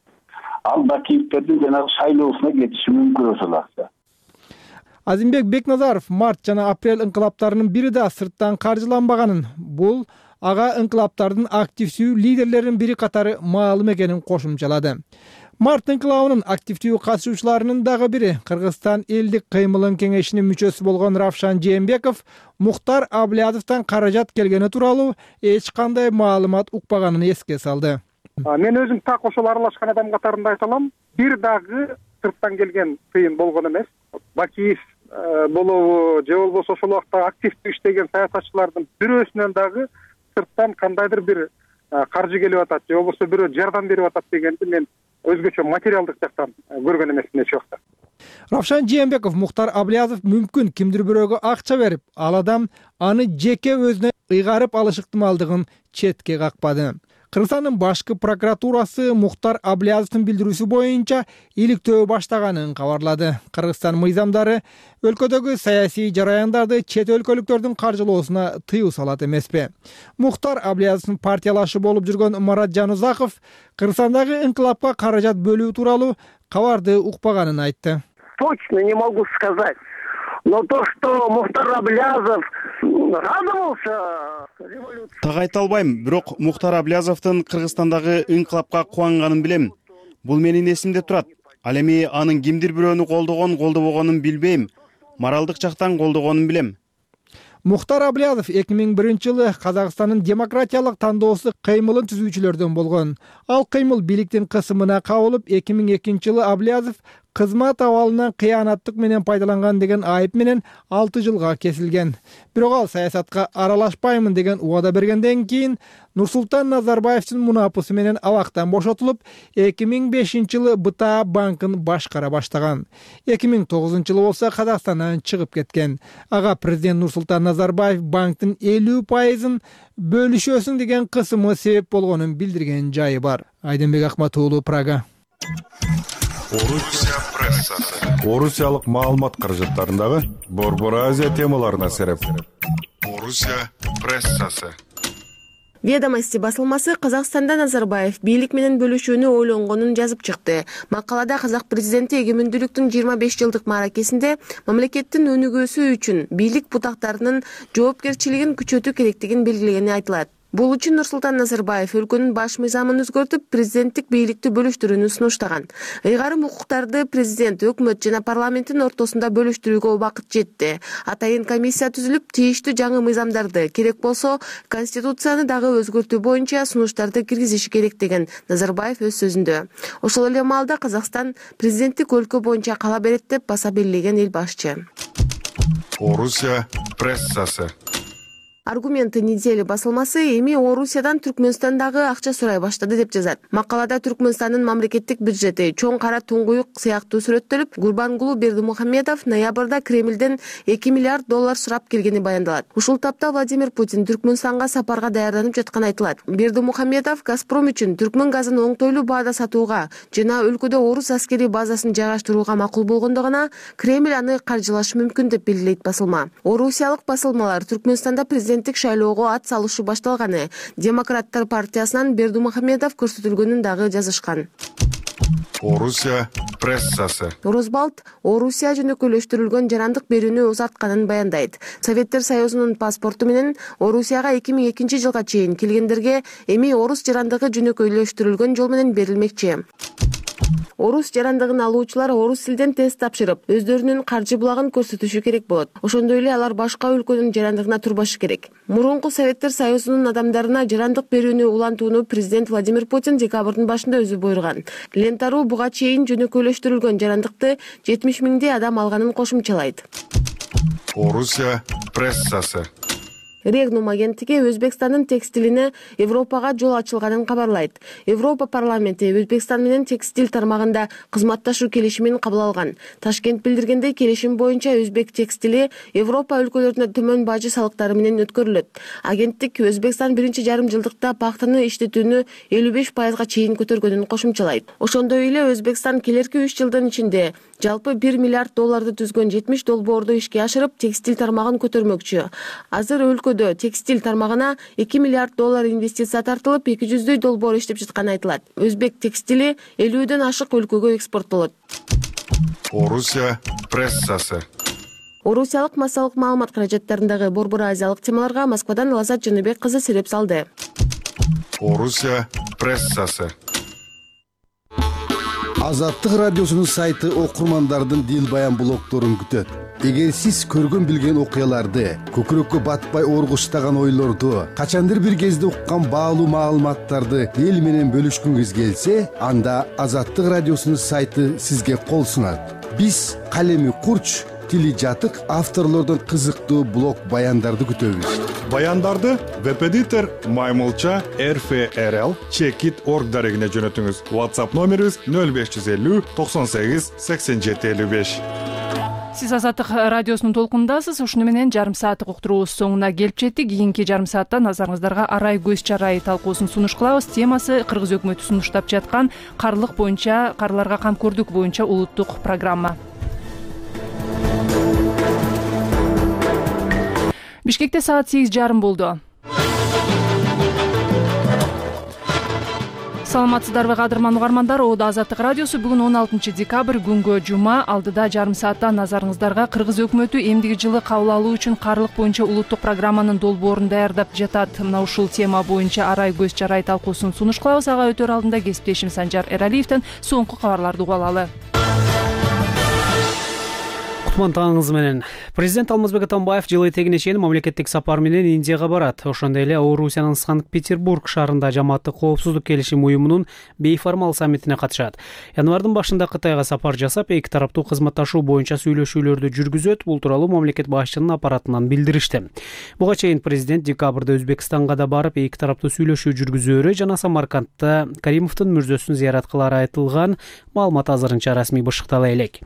Ал Бакиевтердин жанагы шайлоосуна кетиши мүмкүн ошол акча. Азимбек Бекназаров март жана апрель инкылаптарынын бири да сырттан каржыланбаганын, бул ага инкылаптардын активдүү лидерлеринин бири катары маалым экенин кошумчалады. Март инкылабынын активдүү катышуучуларынын дагы бири Кыргызстан элдик кыймылын кеңешинин мүчөсү болгон Равшан Жээнбеков Мухтар Аблязовдон каражат келгени тууралуу эч кандай маалымат укпаганын эске салды. Мен өзүм так ошол аралашкан адам катарында айта алам, бир дагы сырттан келген тыйын болгон эмес. Бакиев болобу же болбосо ошол убакта активдүү иштеген саясатчылардын бирөөсүнөн дагы сырттан кандайдыр бир каржы келип атат же болбосо бирөө жардам берип атат дегенди мен өзгөчө материалдык жактан көргөн эмесмин эч убакта. Равшан Жээнбеков, Мухтар Аблязов мүмкүн кимдир бирөөгө акча берип, ал адам аны жеке өзүнө ыйгарып алыш ыктымалдыгын четке какпады. Кыргызстандын башкы прокуратурасы Мухтар Аблязовдун билдирүүсү боюнча иликтөө баштаганын кабарлады. Кыргызстан мыйзамдары өлкөдөгү саясий жараяндарды чет өлкөлүктөрдүн каржылоосуна тыюу салат эмеспи? Мухтар Аблязовдун партиялашы болуп жүргөн Марат Жанузаков Кыргызстандагы инкылапка каражат бөлүү тууралуу кабарды укпаганын айтты. Точно не могу сказать. Но то, что Мухтар Аблязов радовался революции. Так айта албайм, бирок Мухтар Аблязовдун Кыргызстандагы инкылапка кубанганын билем. Бул менин эсимде турат. Ал эми анын кимдир бирөөнү колдобогонун билбейм. Моралдык жактан колдогонун билем. Мухтар Аблязов 2001-жылы Казакстандын демократиялык тандоосу кыймылын түзүүчүлөрдөн болгон. Ал кыймыл бийликтин кысымына кабылып, 2002-жылы Аблязов кызмат абалынан кыянаттык менен пайдаланган деген айып менен 6 жылга кесилген. Бирок ал саясатка аралашпаймын деген убада бергенден кийин Нурсултан Назарбаевдин мунапысы менен абактан бошотулуп, 2005-жылы БТА банкын башкара баштаган. 2009-жылы болсо Казакстандан чыгып кеткен. Ага президент Нурсултан Назарбаев банктын 50%-ын бөлүшөсүң деген кысымы себеп болгонун билдирген жайы бар. Айденбек Акматуулу, Прага. Орусия прессасы. Орусиялык маалымат каражаттарындагы Борбор Азия темаларына сереп. Орусия прессасы. Ведомости басылмасы Казакстанда Назарбаев бийлик менен бөлүшүүнү ойлонгонун жазып чыкты. Макалада казак президенти эгемендүүлүктүн 25 жылдык мааракесинде мамлекеттин өнүгүүсү үчүн бийлик бутактарынын жоопкерчилигин күчөтүү керектигин белгилегени айтылат. Бул үчүн Нурсултан Назарбаев өлкөнүн баш мыйзамын өзгөртүп, президенттик бийликти бөлүштүрүүнү сунуштаган. Ыйгарым укуктарды президент, өкмөт жана парламенттин ортосунда бөлүштүрүүгө убакыт жетти. Атайын комиссия түзүлүп, тийиштүү жаңы мыйзамдарды, керек болсо конституцияны дагы өзгөртүү боюнча сунуштарды киргизиши керек деген Назарбаев өз сөзүндө. Ошол эле маалда Казакстан президенттик өлкө боюнча кала берет деп баса белгилеген эл башчы. Орусия прессасы. Аргументы недели басылмасы эми Орусиядан Түркмөнстандагы акча сурай баштады деп жазат. Макалада Түркмөнстандын мамлекеттик бюджети чоң кара туңгуюк сыяктуу сүрөттөлүп, Гурбангулу Бердимухамедов ноябрда Кремлден $2 миллиард сурап келгени баяндалат. Ушул тапта Владимир Путин Түркмөнстанга сапарга даярданып жатканы айтылат. Бердимухамедов Газпром үчүн түркмөн газын оңтойлуу баада сатууга жана өлкөдө орус аскери базасын жайгаштырууга макул болгондо гана Кремль аны каржылашы мүмкүн деп белгилейт басылма. Орусиялык басылмалар Түркмөнстанда президенттик шайлоого ат салышы башталганы, Демократтар партиясынан Бердимухамедов көрсөтүлгөнүн дагы жазышкан. Орусия прессасы. Росбалт Орусия жөнөкөйлөштүрүлгөн жарандык берүүнү узартканын баяндайт. Советтер Союзунун паспорту менен Орусияга 2002 жылга чейин келгендерге эми орус жарандыгы жөнөкөйлөштүрүлгөн жол менен берилмекчи. Орус жарандыгын алуучулар орус тилден тест тапшырып, өздөрүнүн каржы булагын көрсөтүшү керек болот. Ошондой эле алар башка өлкөнүн жарандыгына турбашы керек. Мурунку Советтер Союзунун адамдарына жарандык берүүнү улантууну президент Владимир Путин декабрдын башында өзү буйруган. Лентару буга чейин жөнөкөйлөштүрүлгөн жарандыкты 70 миңдей адам алганын кошумчалайт. Орусия прессасы. Регнум агенттиги Өзбекстандын текстилине Европага жол ачылганын кабарлайт. Европа парламенти Өзбекстан менен текстил тармагында кызматташуу келишимин кабыл алган. Ташкент билдиргендей, келишим боюнча өзбек текстили Европа өлкөлөрүнө төмөн бажы салыктары менен өткөрүлөт. Агенттик Өзбекстан 1,5 жылдыкта пахтаны иштетүүнү 55%га чейин көтөргөнүн кошумчалайт. Ошондой эле Өзбекстан келерки 3 жылдын ичинде жалпы $1 миллиард түзгөн 70 долбоорду ишке ашырып, текстил тармагын көтөрмөкчү. Азыр өлкөдө текстил тармагына $2 миллиард инвестиция тартылып, 200 долбоор иштеп жатканы айтылат. Өзбек текстили 50ден ашык өлкөгө экспорттолот. Орусия прессасы. Орусиялык массалык маалымат каражаттарындагы Борбор Азиялык темаларга Москвадан Лазат Жаныбек кызы сереп салды. Орусия прессасы. Азаттык радиосунун сайты окурмандардын дил баян блогдорун күтөт. Эгер сиз көргөн билген окуяларды, көкүрөккө батпай оргуштаган ойлорду, качандыр бир кезде уккан баалуу маалыматтарды эл менен бөлүшкүңүз келсе, анда Азаттык радиосунун сайты сизге кол сунат. Биз калеми курч, тили жатык авторлордун кызыктуу блог баяндарды күтөбүз. Баяндарды веб-эдитор Маймылча RFRL Checkit.org дарегине жөнөтүңүз. WhatsApp номерибиз 0550 98 87 55. Сиз Азаттык радиосунун толкунундасыз. Ушуну менен жарым сааттык уктуруубуз соңуна келип жеттик. Кийинки жарым саатта назарыңыздарга арай көз чарай талкуусун сунуш кылабыз. Темасы Кыргыз өкмөтү сунуштап жаткан карларга камкордук боюнча улуттук программа. Бишкекте саат 8:30 болду. Саламатсыздарбы кадырман угармандар, Оодо Азаттык радиосу бүгүн 16 декабрь күнгө жума. Алдыда жарым саатта назарыңыздарга Кыргыз өкмөтү эмдиги жылы кабыл алуу үчүн карлык боюнча улуттук программанын долбоорун даярдап жатат. Мына ушул тема боюнча арай көз чарай талкуусун сунуш кылабыз. Ага өтөр алдында кесиптешим Санжар Эралиевден соңку кабарларды угуп алалы. Таңыңыз менен. Президент Алмазбек Атамбаев жылы этегине чейин мамлекеттик сапар менен Индияга барат. Ошондой эле Орусиянын Санкт-Петербург шаарында жамааттык коопсуздук келишим уюмунун бейформал саммитине катышат. Январдын башында Кытайга сапар жасап, эки тараптуу кызматташуу боюнча сүйлөшүүлөрдү жүргүзөт. Бул тууралуу мамлекет башчынын аппаратынан билдиришти. Буга чейин президент декабрда Өзбекстанга да барып, эки тараптуу сүйлөшүү жүргүзөөрү жана Самаркандта Каримовдун мүрзөсүн зыярат кылары айтылган. Маалымат азырынча расмий бышыктала элек.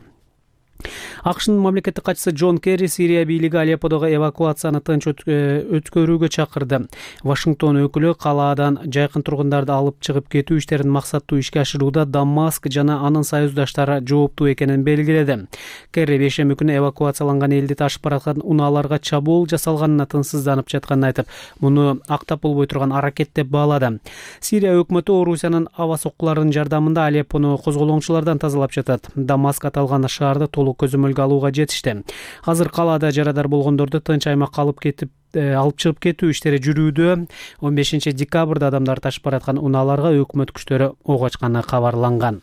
АКШнын мамлекеттик катчысы Джон Керри Сирия бийлиги Алепподогу эвакуацияны тынч өткөрүүгө чакырды. Вашингтон өкүлү калаадан жайкын тургундарды алып чыгып кетүү иштерин максаттуу ишке ашырууда Дамаск жана анын союздаштары жооптуу экенин белгиледи. Керри бейшемби күнү эвакуацияланган элди ташып бараткан унааларга чабуул жасалганына тынчсызданып жатканын айтып, муну актап болбой турган аракет деп баалады. Сирия өкмөтү Орусиянын аба соккуларынын жардамында Алеппону козголоңчулардан тазалап жатат. Дамаск аталган шаарды толук көзөмөлгө алууга жетишти. Азыр калаада жарадар болгондорду тынч аймакка алып чыгып кетүү иштери жүрүүдө. 15 декабрда адамдар ташып бараткан унааларга өкмөт күчтөрү ок ачканы кабарланган.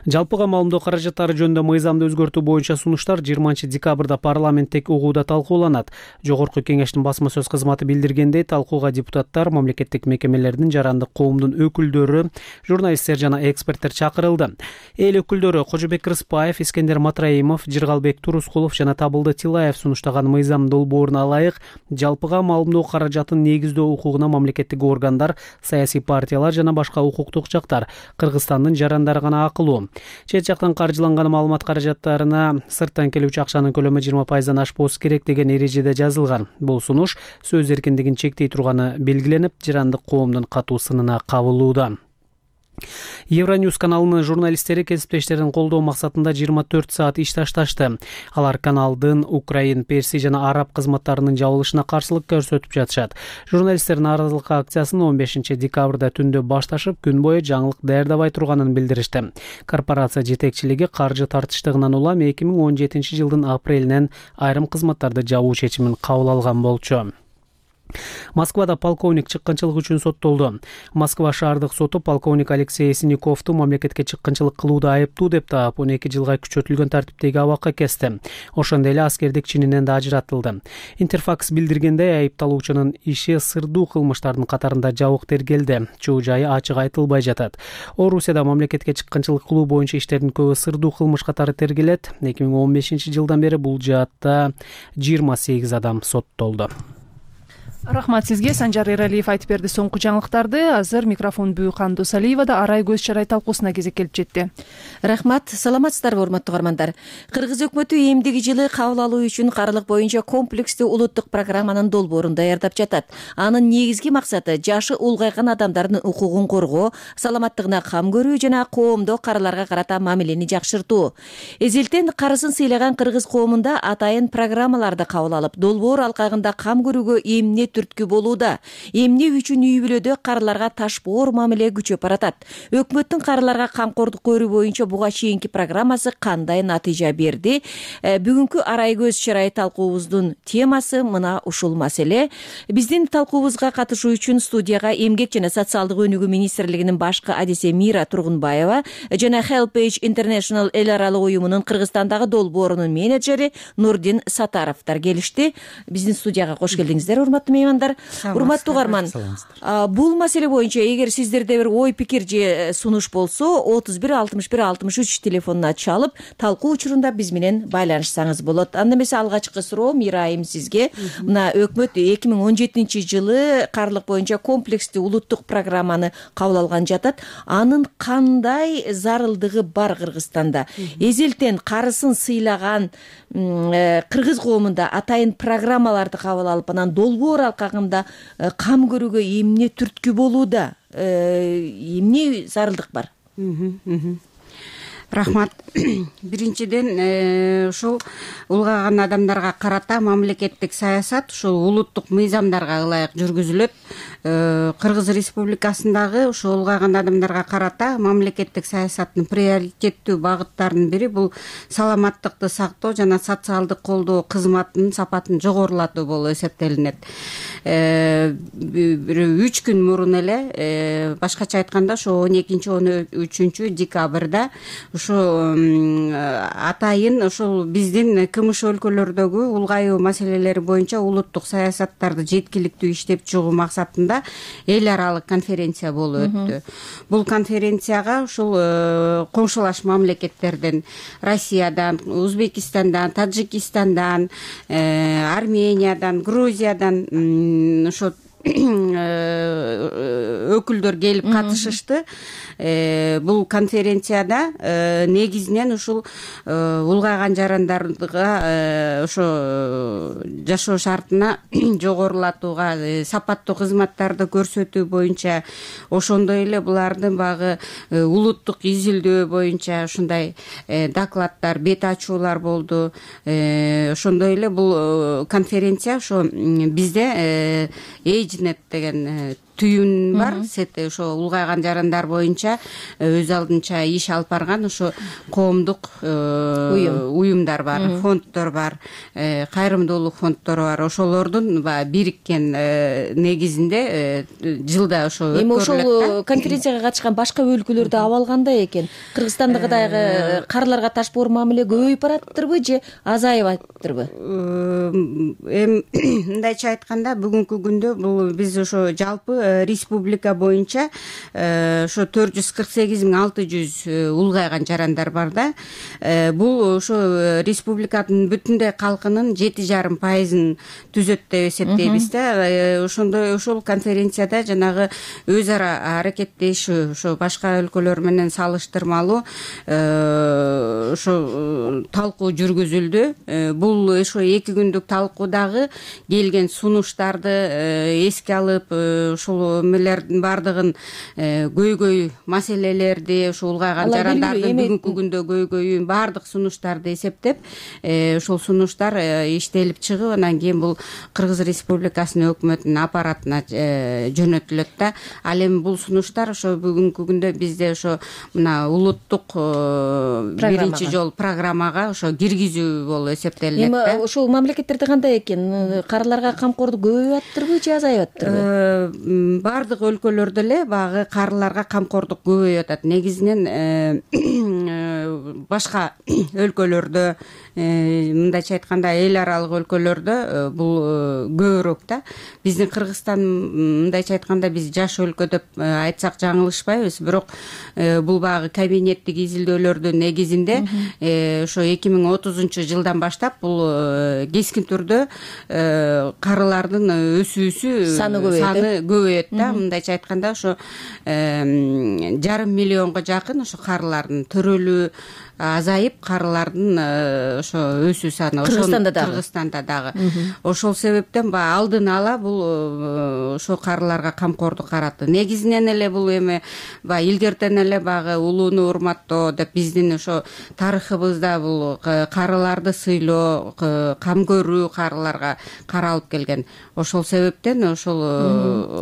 Жалпыга маалымдоо каражаттары жөнүндө мыйзамды өзгөртүү боюнча сунуштар 20 декабрда парламенттик угууда талкууланат. Жогорку кеңештин басма сөз кызматы билдиргендей, талкууга депутаттар, мамлекеттик мекемелердин, жарандык коомдун өкүлдөрү, журналисттер жана эксперттер чакырылды. Эл өкүлдөрү Кожобек Рыспаев, Искендер Матраимов, Жыргалбек Турускулов жана Табылды Тилаев сунуштаган мыйзам долбооруна ылайык жалпыга маалымдоо каражатын негиздөө укугуна мамлекеттик органдар, саясий партиялар жана башка укуктук жактар, Кыргызстандын жарандары гана акылуу. Чет жактан каржыланган маалымат каражаттарына сырттан келүүчү акчанын көлөмү 20% ашпоосу керек деген эрежеде жазылган. Бул сунуш сөз эркиндигин чектей турганы белгиленип, жарандык коомдун катуу сынына кабылууда. Евроньюз каналынын журналисттери кесиптештерин колдоо максатында 24 саат иш ташташты. Алар каналдын украин, перси жана араб кызматтарынын жабылышына каршылык көрсөтүп жатышат. Журналисттер нааразылык акциясын 15 декабрда түндө башташып, күн бою жаңылык даярдабай турганын билдиришти. Корпорация жетекчилиги каржы тартыштыгынан улам 2017 жылдын апрелинен айрым кызматтарды жабуу чечимин кабыл алган болчу. Москвада полковник чыккынчылык үчүн соттолду. Москва шаардык соту полковник Алексей Синяковду мамлекетке чыккынчылык кылууда айыптуу деп таап, 12 жылга күчөтүлгөн тартиптеги абакка кести. Ошондой эле аскердик чининен да ажыратылды. Интерфакс билдиргендей, айыпталуучунун иши сырдуу кылмыштардын катарында жабык тергелди. Чоо жайы ачык айтылбай жатат. Орусияда мамлекетке чыккынчылык кылуу боюнча иштердин көбү сырдуу кылмыш катары тергелет. 2015 жылдан бери бул жаатта 28 адам соттолду. Рахмат сизге, Санжар Эралиев айтып берди соңку жаңылыктарды. Азыр микрофон Бүйкан Досалиевада арай көз чарай талкуусуна кезек келип жетти. Рахмат, саламатсыздарбы урматтуу угармандар. Кыргыз өкмөтү эмдиги жылы кабыл алуу үчүн карлык боюнча комплекстүү улуттук программанын долбоорун даярдап жатат. Анын негизги максаты жашы улгайган адамдардын укугун коргоо, саламаттыгына кам көрүү жана коомдо карыларга карата мамилени жакшыртуу. Эзелтен карысын сыйлаган кыргыз коомунда атайын программаларды кабыл алып, долбоор алкагында кам көрүүгө эмне түрткү болууда. Эмне үчүн үй бүлөдө карыларга ташпоор мамиле күчөп баратат? Өкмөттүн карыларга камкордук көрүү боюнча буга чейинки программасы кандай натыйжа берди? Бүгүнкү арай көз чырай талкуубуздун темасы мына ушул маселе. Биздин талкуубузга катышуу үчүн студияга Эмгек жана социалдык өнүгүү министрлигинин башкы адиси Мира Тургунбаева жана Helpage International эл аралык уюмунун Кыргызстандагы долбоорунун менеджери Нурдин Сатаровдор келишти. Биздин студияга кош келдиңиздер, урматтуу меймандар. Урматтуу угарман, бул маселе боюнча эгер сиздерде бир ой пикир же сунуш болсо 31 61 63 телефонуна чалып талкуу учурунда биз менен байланышсаңыз болот. Анда эмесе алгачкы суроо Мира айым сизге. Мына өкмөт 2017-жылы карылык боюнча комплекстүү улуттук программаны кабыл алган жатат. Анын кандай зарылдыгы бар Кыргызстанда? Эзелтен карысын сыйлаган кыргыз коомунда атайын программаларды кабыл алып, анан долбоор алкагында кам көрүүгө эмне түрткү болууда? Эмне зарылдык бар? Рахмат. Биринчиден, ушул улгайган адамдарга карата мамлекеттик саясат ушул улуттук мыйзамдарга ылайык жүргүзүлөт. Кыргыз Республикасындагы ушул улгайган адамдарга карата мамлекеттик саясаттын приоритеттүү багыттарынын бири бул саламаттыкты сактоо жана социалдык колдоо кызматынын сапатын жогорулатуу болуп эсептелинет. 3 күн мурун эле, башкача айтканда, ошо 12-13 декабрда ушу атайын ушул биздин КМШ өлкөлөрдөгү улгайуу маселелери боюнча улуттук саясаттарды жеткиликтүү иштеп чыгуу максатында эл аралык конференция болуп өттү. Бул конференцияга ушул коңшулаш мамлекеттерден, Россиядан, Узбекистандан, Таджикистандан, Армениядан, Грузиядан ошо өкүлдөр келип катышышты. Бул конференцияда негизинен ушул улгайган жарандарга ошо жашоо шартына жогорулатууга, сапаттуу кызматтарды көрсөтүү боюнча, ошондой эле булардын багы улуттук изилдөө боюнча ушундай докладдар, бет ачуулар болду. Ошондой эле бул конференция ошо бизде Эйжнет деген түйүн бар, ошо улгайган жарандар боюнча өз алдынча иш алып барган ошо коомдук уюмдар бар, фонддор бар, кайрымдуулук фонддору бар. Ошолордун бириккен негизинде жылда ошо өткөрүлөт. Эми ошол конференцияга катышкан башка өлкөлөрдө абал кандай экен? Кыргызстандагыдай карыларга ташпоор мамиле көбөйүп бараттырбы же азайып атыптырбы? Эми мындайча айтканда, бүгүнкү күндө бул биз ошо жалпы республика боюнча ошо 448.600 улгайган жарандар бар да. Бул ошо республиканын бүтүндөй калкынын 7,5% түзөт деп эсептейбиз да. Ошондой ошол конференцияда жанагы өз ара аракеттешүү ошо башка өлкөлөр менен салыштырмалуу ошо талкуу жүргүзүлдү. Бул ошо 2 күндүк талкуудагы келген сунуштарды эске алып, ушул эмелердин бардыгын көйгөй маселелерди, ушул улгайган жарандардын бүгүнкү күндө көйгөйүн бардык сунуштарды эсептеп, ошол сунуштар иштелип чыгып, анан кийин бул Кыргыз Республикасынын өкмөтүнүн аппаратына жөнөтүлөт да. Ал эми бул сунуштар ошо бүгүнкү күндө бизде ошо мына улуттук биринчи жолу программага ошо киргизүү болуп эсептелинет да. Эми ошол мамлекеттерде кандай экен? Карыларга камкордук көбөйүп атыптырбы же азайып атыптырбы? Бардык өлкөлөрдө эле багы карыларга камкордук көбөйүп атат. Негизинен башка өлкөлөрдө, мындайча айтканда эл аралык өлкөлөрдө бул көбүрөөк да. Биздин Кыргызстан, мындайча айтканда, биз жаш өлкө деп айтсак жаңылышпайбыз. Бирок бул багы кабинеттик изилдөөлөрдүн негизинде ошо 2030 жылдан баштап бул кескин түрдө карылардын өсүүсү саны көбөйөт да. Мындайча айтканда ошо 500 000 жакын ошо карылардын төрөлүү азайып карылардын ошо өсүү саны Кыргызстанда дагы ошол себептен баягы алдын ала бул ошо карыларга камкордук каратты. Негизинен эле бул эми баягы илгертен эле баягы улууну урматтоо деп биздин ошо тарыхыбызда бул карыларды сыйлоо, кам көрүү карыларга каралып келген. Ошол себептен ошол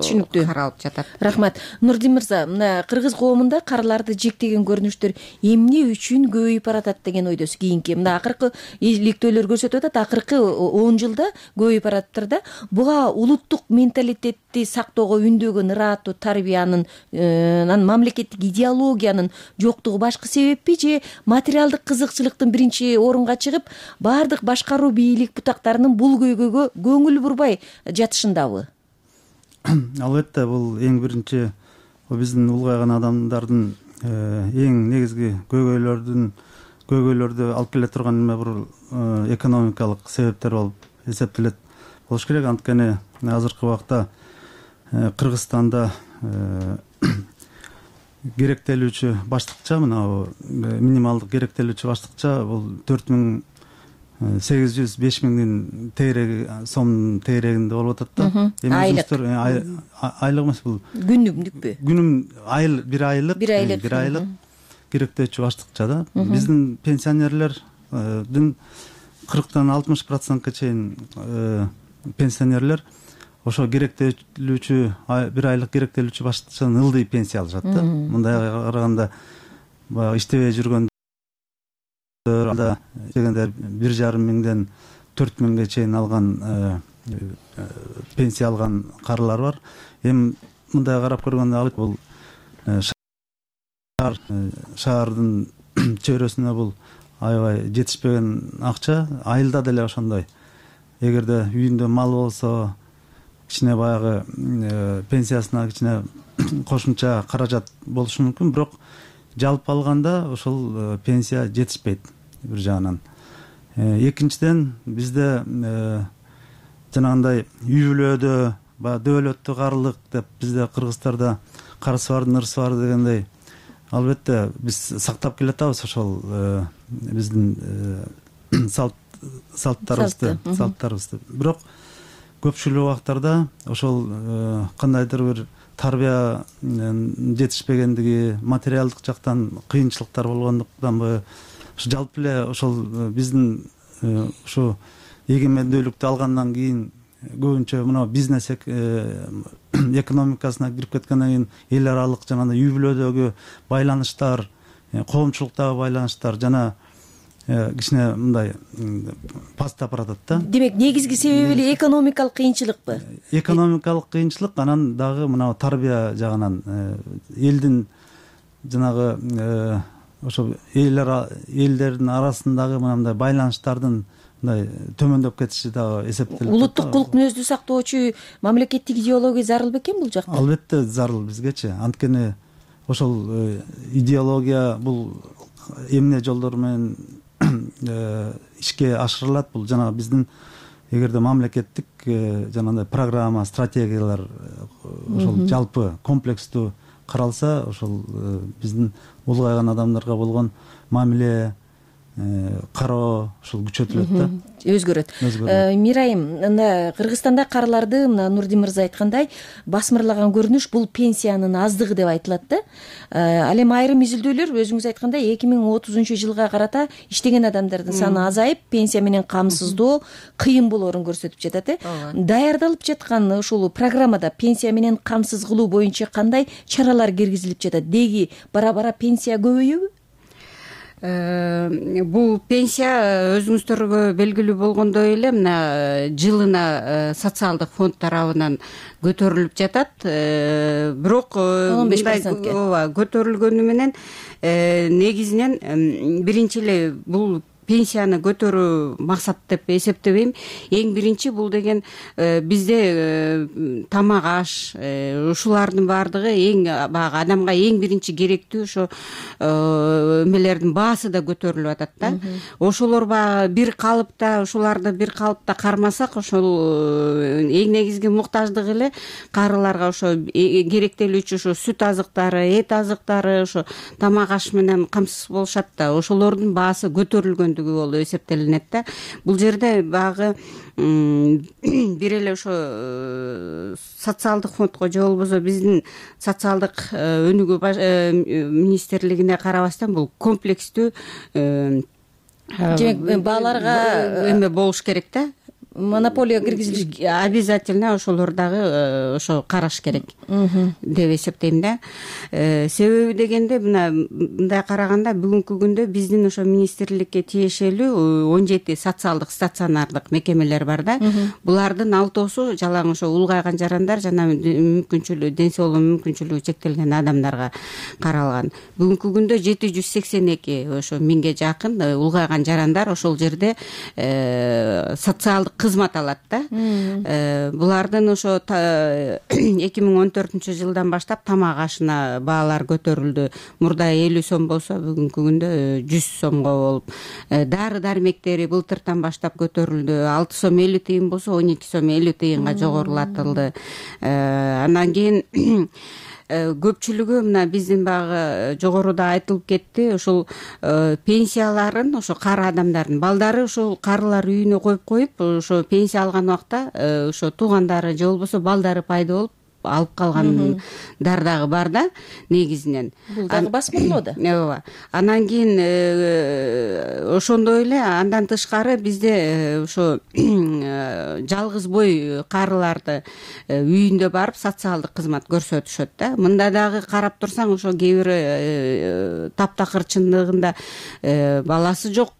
түшүнүктүү каралып жатат. Рахмат. Нурдин мырза, мына кыргыз коомунда карыларды жектеген көрүнүштөр эмне үчүн көбөйүп баратат деген ойдосуз кийинки? Мына акыркы иликтөөлөр көрсөтүп атат, акыркы 10 жылда көбөйүп баратыптыр да. Буга улуттук менталитетти сактоого үндөгөн ырааттуу тарбиянын, мамлекеттик идеологиянын жоктугу башкы себеппи же материалдык кызыкчылыктын биринчи орунга чыгып, баардык башкаруу бийлик бутактарынын бул көйгөйгө көңүл бурбай жатышындабы? Албетте, бул эң биринчи биздин улгайган адамдардын эң негизги көйгөйлөрдү алып келе турган эме бул экономикалык себептер болуп эсептелет болуш керек. Анткени азыркы убакта Кыргызстанда керектелүүчү баштыкча, мына минималдык керектелүүчү баштыкча бул 4800-5000 тегереги сомдун тегерегинде болуп атат да. Айлык эмес, бул күнүмдүкпү? Бир айлык керектелүүчү баштыкча да. Биздин пенсионерлердин 40-60%га чейин пенсионерлер ошо керектелүүчү бир айлык керектелүүчү баштыкчадан ылдый пенсия алышат да. Мындай караганда баягы иштебей жүргөн дегенде 1,5 миңден 4 миңге чейин алган пенсия алган карылар бар. Эми мындай карап көргөндө бул шаардын чөйрөсүнө бул аябай жетишпеген акча, айылда деле ошондой. Эгерде үйүндө мал болсо, кичине баягы пенсиясына кичине кошумча каражат болушу мүмкүн, бирок жалпы алганда ошол пенсия жетишпейт бир жагынан. Экинчиден бизде жанагындай үй бүлөдө баягы дөөлөттү карылык деп бизде кыргыздарда карысы бардын ырысы бар дегендей, албетте биз сактап келатабыз ошол биздин салттарыбызды. Бирок көпчүлүк убактарда ошол кандайдыр бир тарбия жетишпегендиги, материалдык жактан кыйынчылыктар болгондуктанбы, жалпы эле ошол биздин ушу эгемендүүлүктү алгандан кийин көбүнчө мына бизнес экономикасына кирип кеткенден кийин эл аралык жана үй бүлөдөгү байланыштар, коомчулуктагы байланыштар жана кичине мындай пастап баратат да. Демек, негизги себеби эле экономикалык кыйынчылыкпы? Экономикалык кыйынчылык, анан дагы мына тарбия жагынан элдин жанагы ошо элдердин арасындагы мындай байланыштардын мындай төмөндөп кетиши дагы эсептелет. Улуттук кулк мүнөздү сактоочу мамлекеттик идеология зарыл бекен бул жакта? Албетте зарыл бизгечи. Анткени ошол идеология бул эмне жолдор менен ишке ашырылат, бул жанагы биздин эгерде мамлекеттик жанагындай программа, стратегиялар ошол жалпы комплекстүү каралса, ошол биздин улгайган адамдарга болгон мамиле, кароо ошол күчөтүлөт да, өзгөрөт. Мирайым, мына Кыргызстанда карыларды, мына Нурдин мырза айткандай, басмырлаган көрүнүш бул пенсиянын аздыгы деп айтылат да. Ал эми айрым изилдөөлөр өзүңүз айткандай 2030 жылга карата иштеген адамдардын саны азайып, пенсия менен камсыздоо кыйын болоорун көрсөтүп жатат. Даярдалып жаткан ушул программада пенсия менен камсыз кылуу боюнча кандай чаралар киргизилип жатат? Деги бара-бара пенсия көбөйөбү? Бул пенсия өзүңүздөргө белгилүү болгондой эле мына жылына социалдык фонд тарабынан көтөрүлүп жатат. Бирок 15% көтөрүлгөнү менен негизинен биринчи эле бул пенсияны көтөрүү максат деп эсептебейм. Эң биринчи бул деген бизде тамак аш ушулардын баардыгы эң баягы адамга эң биринчи керектүү ошо эмелердин баасы да көтөрүлүп атат да. Ошолор баягы бир калыпта ушуларды бир калыпта кармасак ошол эң негизги муктаждык эле карыларга ошо керектелүүчү ошо сүт азыктары, эт азыктары, ошо тамак аш менен камсыз болушат да. Ошолордун баасы көтөрүлгөндүгү болуп эсептелинет да. Бул жерде баягы бир эле ошо социалдык фондко же болбосо биздин социалдык өнүгүү министрлигине карабастан бул комплекстүү демек бааларга эме болуш керек да. Монополия киргизилиш обязательно ошолор дагы ошо караш керек деп эсептейм да. Себеби дегенде мындай караганда бүгүнкү күндө биздин ошо министрликке тиешелүү 17 социалдык стационардык мекемелер бар да. Булардын 6-су жалаң ошо улгайган жарандар жана мүмкүнчүлүгү ден соолугу мүмкүнчүлүгү чектелген адамдарга каралган. Бүгүнкү күндө 782 ошо 1000ге жакын улгайган жарандар ошол жерде социалдык кызмат алат да. Булардын ошо 2014 жылдан баштап тамак ашына баалар көтөрүлдү. Мурда 50 сом болсо бүгүнкү күндө 100 сомго болуп, дары дармектери былтыртан баштап көтөрүлдү. 6 сом 50 тыйын болсо 12 сом 50 тыйынга жогорулатылды. Андан кийин көпчүлүгү мына биздин баягы жогоруда айтылып кетти, ошол пенсияларын ошо кары адамдардын балдары ошол карылар үйүнө коюп ошо пенсия алган убакта ошо туугандары же болбосо балдары пайда болуп алып калгандар дагы бар да негизинен. Бул дагы басмырлоо да. Ооба. Анан кийин ошондой эле андан тышкары бизде ошо жалгыз бой карыларды үйүндө барып социалдык кызмат көрсөтүшөт да. Мында дагы карап турсаң ошо кээ бир таптакыр чындыгында баласы жок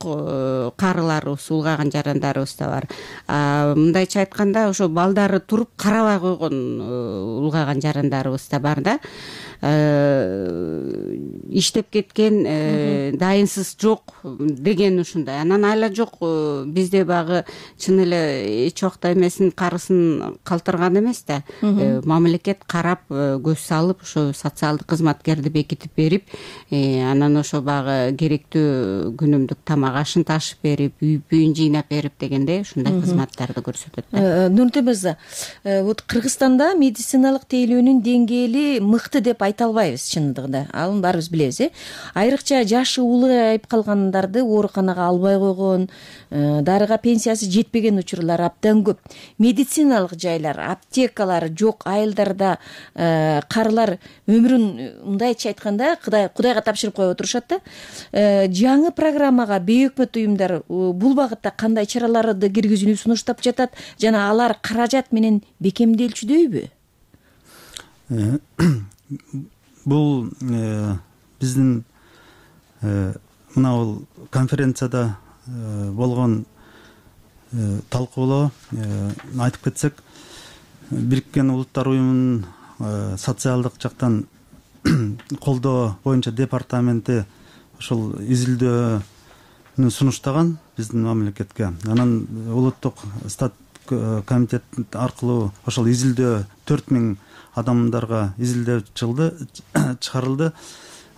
карыларыбыз, улгайган жарандарыбыз да бар. Мындайча айтканда ошо балдары туруп карабай койгон улгайган жарандарыбыз да бар да. Иштеп кеткен, дайынсыз жок деген ушундай. Анан айла жок бизде багы чын эле эч убакта эмесин карысын калтырган эмес да. Мамлекет карап, көз салып, ошо социалдык кызматкерди бекитип берип, анан ошо багы керектүү күнүмдүк тамак ашын ташып берип, үй-бүйүн жыйнап берип дегендей ушундай кызматтарды көрсөтөт да. Нурмурза мырза, вот Кыргызстанда медициналык тейлөөнүн деңгээли мыкты деп айта албайбыз чындыгында. Аны баарыбыз билебиз. Айрыкча жашы улгайып калгандарды ооруканага албай койгон, дарыга пенсиясы жетпеген учурлар абдан көп. Медициналык жайлар, аптекалар жок айылдарда карылар өмүрүн мындайча айтканда Кудайга тапшырып коюп отурушат да. Жаңы программага бейөкмөт уюмдар бул багытта кандай чараларды киргизүүнү сунуштап жатат жана алар каражат менен бекемделчүдөйбү? Бул биздин мына бул конференцияда болгон талкуулоо айтып кетсек, Бириккен Улуттар уюмунун социалдык жактан колдоо боюнча департаменти ошол изилдөөнү сунуштаган биздин мамлекетке. Анан улуттук стат комитет аркылуу ошол изилдөө 4000 адамдарга изилдөө чыгарылды.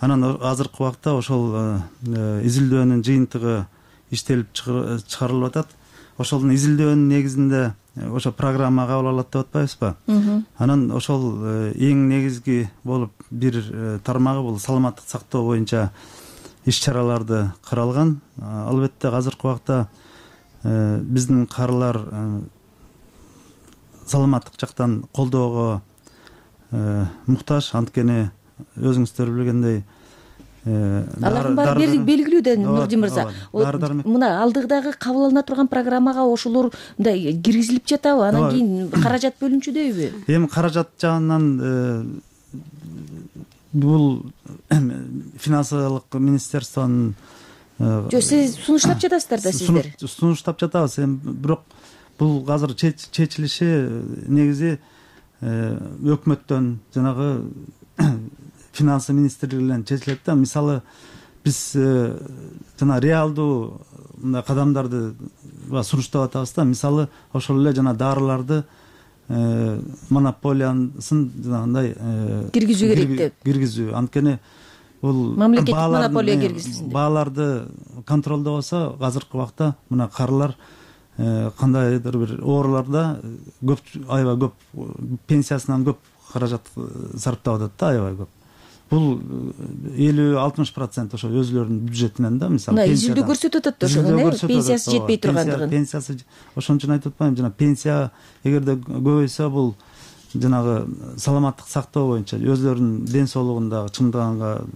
Анан азыркы убакта ошол изилдөөнүн жыйынтыгы иштелип чыгарылып атат. Ошол изилдөөнүн негизинде ошо программа кабыл алат деп атпайбызбы? Анан ошол эң негизги болуп бир тармагы бул саламаттык сактоо боюнча иш-чараларды каралган. Албетте азыркы убакта биздин карылар саламаттык жактан колдоого муктаж, анткени өзүңүздөр билгендей алардын баары белгилүү да. Нурдин мырза, мына алдыдагы кабыл алына турган программага ошолор мындай киргизилип жатабы? Анан кийин каражат бөлүнчүдөйбү? Эми каражат жагынан бул финансылык министерствонун сиз сунуштап жатасыздар да сиздер? Сунуштап жатабыз, бирок бул азыр чечилиши негизи өкмөттөн жанагы финансы министрлигинен чечилет да. Мисалы биз жана реалдуу мындай кадамдарды сунуштап атабыз да. Мисалы ошол эле жана дарыларды монополиясын жанагындай киргизүү керек деп. Киргизүү. Анткени бул мамлекеттик монополия киргизилсин деп. Бааларды контролдобосо азыркы убакта мына карылар кандайдыр бир ооруларда көп, аябай көп, пенсиясынан көп каражат сарптап атат да, аябай көп. Бул 50-60% ошо өзүлөрүнүн бюджетинен да, мисалы изилдөө көрсөтүп атат ошону, пенсиясы жетпей тургандыгын. Пенсиясы ошон үчүн айтып атпаймынбы, жана пенсия эгерде көбөйсө бул жанагы саламаттык сактоо боюнча өзүлөрүнүн ден соолугунда чымдыганга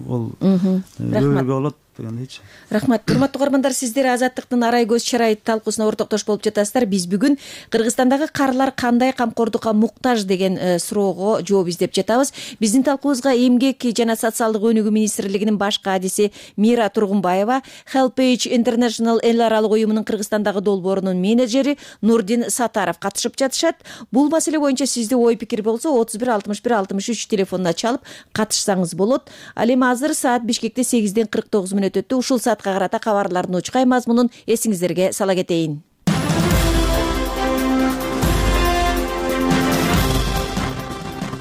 ол көбөйгө болот дегендейчи. Рахмат. Урматтуу угармандар, сиздер Азаттыктын арай көз чарайыт талкуусуна ортоктош болуп жатасыздар. Биз бүгүн Кыргызстандагы карылар кандай камкордукка муктаж деген суроого жооп издеп жатабыз. Биздин талкуубузга Эмгек жана социалдык өнүгүү министрлигинин баш кадиси Мира Тургунбаева, HelpAge International эл аралык уюмунун Кыргызстандагы долбоорунун менеджери Нурдин Сатаров катышып жатышат. Бул маселе боюнча сизде ой пикир болсо 31 61 63 телефонуна чалып катышсаңыз болот. Ал эми азыр саат Бишкекте 8ден 49 мүнөт өттү. Ушул саатка карата кабарлардын учкай мазмунун эсиңиздерге сала кетейин.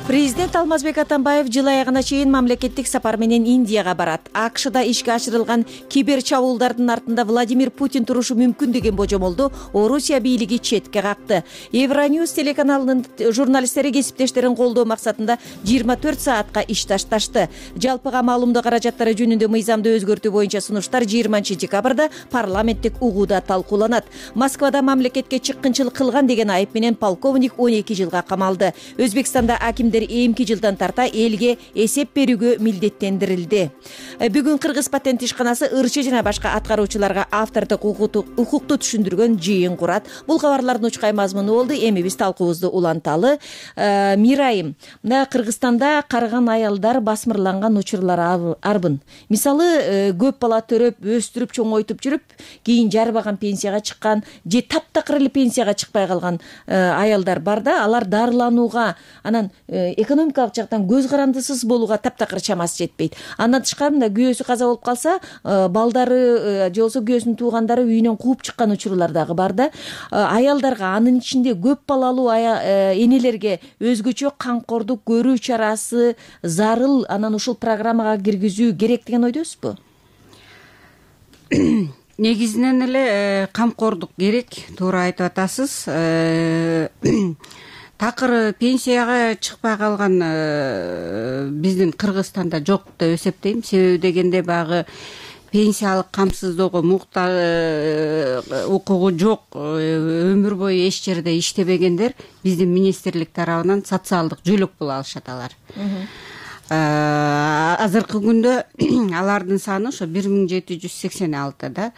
Президент Алмазбек Атамбаев жыл аягына чейин мамлекеттик сапар менен Индияга барат. АКШда ишке ашырылган кибер чабуулдардын артында Владимир Путин турушу мүмкүн деген божомолду Орусия бийлиги четке какты. Евроньюз телеканалынын журналисттери кесиптештерин колдоо максатында 24 саатка иш ташташты. Жалпыга маалымдоо каражаттары жөнүндө мыйзамды өзгөртүү боюнча сунуштар 20 декабрда парламенттик угууда талкууланат. Москвада мамлекетке чыккынчылык кылган деген айып менен полковник 12 жылга камалды. Өзбекстанда акимдер эмки жылдан тарта элге эсеп берүүгө милдеттендирилди. Бүгүн Кыргыз патент ишканасы ырчы жана башка аткаруучуларга автордук укукту түшүндүргөн жыйын курат. Бул кабарлардын учкай мазмуну болду. Эми биз талкуубузду уланталы. Мирайым, мына Кыргызстанда карыган аялдар басмырланган учурлар арбын. Мисалы, көп бала төрөп, өстүрүп, чоңойтуп жүрүп, кийин жарбаган пенсияга чыккан же таптакыр эле пенсияга чыкпай калган аялдар бар да, алар дарыланууга, анан экономикалык жактан көз карандысыз болууга таптакыр чамасы жетпейт. Андан тышкары мында күйөөсү каза болуп калса, балдары же болбосо күйөөсүнүн туугандары үйүнөн кууп чыккан учурлар дагы бар да. Аялдарга, анын ичинде көп балалуу энелерге өзгөчө камкордук көрүү чарасы зарыл, анан ушул программага киргизүү керек деген ойдосузбу? Негизинен эле камкордук керек, туура айтып атасыз. Такыр пенсияга чыкпай калган биздин Кыргызстанда жок деп эсептейм. Себеби дегенде багы пенсиялык камсыздоого укугу жок, өмүр бою эч жерде иштебегендер биздин министрлик тарабынан социалдык жөлөк боло алышат алар. Азыркы күндө алардын саны ошо 1786 да.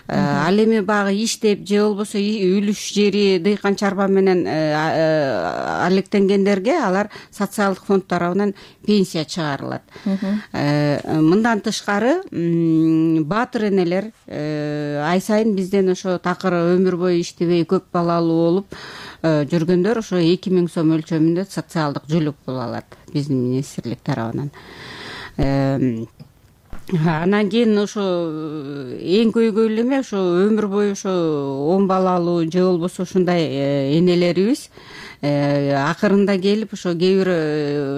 Ал эми багы иштеп же болбосо үлүш жери дыйкан чарба менен алектенгендерге алар социалдык фонд тарабынан пенсия чыгарылат. Мындан тышкары баатыр энелер ай сайын бизден ошо такыр өмүр бою иштебей көп балалуу болуп жүргөндөр ошо 2000 сом өлчөмүндө социалдык жөлөк боло алат биздин министрлик тарабынан. Анан кийин ошо эң көйгөйлүү эме ошо өмүр бою ошо 10 балалуу же болбосо ушундай энелерибиз акырында келип ошо кээ бир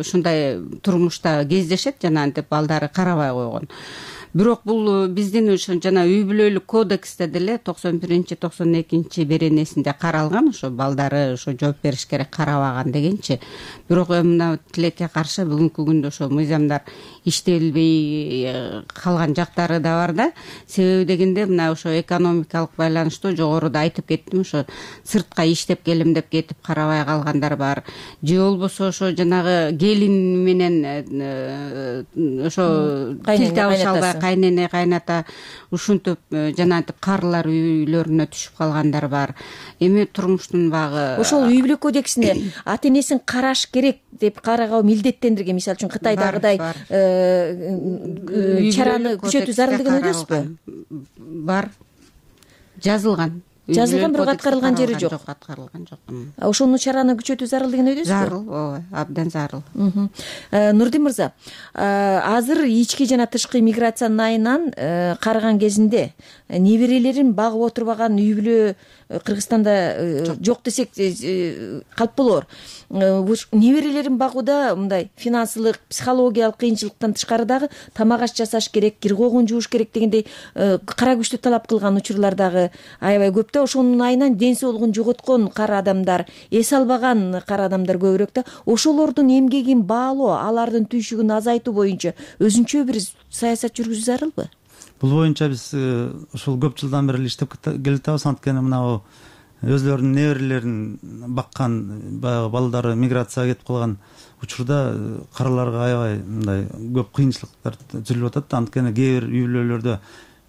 ушундай турмушта кездешет, жана антип балдары карабай койгон. Бирок бул биздин ошо жана үй бүлөлүк кодексте деле 91-92 беренесинде каралган, ошо балдары ошо жооп бериш керек карабаган дегенчи. Бирок мына тилекке каршы бүгүнкү күндө ошо мыйзамдар иштелбей калган жактары да бар да. Себеби дегенде мына ошо экономикалык байланыштуу жогоруда айтып кеттим, ошо сыртка иштеп келем деп кетип карабай калгандар бар. Же болбосо ошо жанагы келин менен ошо тил табыша албай кайнене кайната ушинтип жанагынтип карылар үйлөрүнө түшүп калгандар бар. Эми турмуштун багы ошол үй бүлө кодексине ата энесин караш керек деп караага милдеттендирген. Мисалы үчүн Кытайдагыдай чараны күчөтүү зарыл деген ойдосузбу? Бар, жазылган. жазылган бирок аткарылган жери жок. Аткарылган жок. Ошону чараны күчөтүү зарыл деген ойдосузбу? Зарыл, ооба, абдан зарыл. Нурдин мырза, азыр ички жана тышкы миграциянын айынан караган кезинде неберелерин багып отурбаган үй бүлө Кыргызстанда жок десек калп болор. Неберелерин багууда мындай финансылык, психологиялык кыйынчылыктан тышкары дагы тамак аш жасаш керек, кир когун жууш керек дегендей кара күчтү талап кылган учурлар дагы аябай көп да. Ошонун айынан ден соолугун жоготкон кара адамдар, эс албаган кара адамдар көбүрөөк да. Ошолордун эмгегин баалоо, алардын түйшүгүн азайтуу боюнча өзүнчө бир саясат жүргүзүү зарылбы? Бул боюнча биз ушул көп жылдан бери иштеп келатабыз. Анткени мына өзлөрүнүн неберелерин баккан баягы балдары миграцияга кетип калган учурда караларга аябай мындай көп кыйынчылыктар түзүлүп атат. Анткени кээ бир үй бүлөлөрдө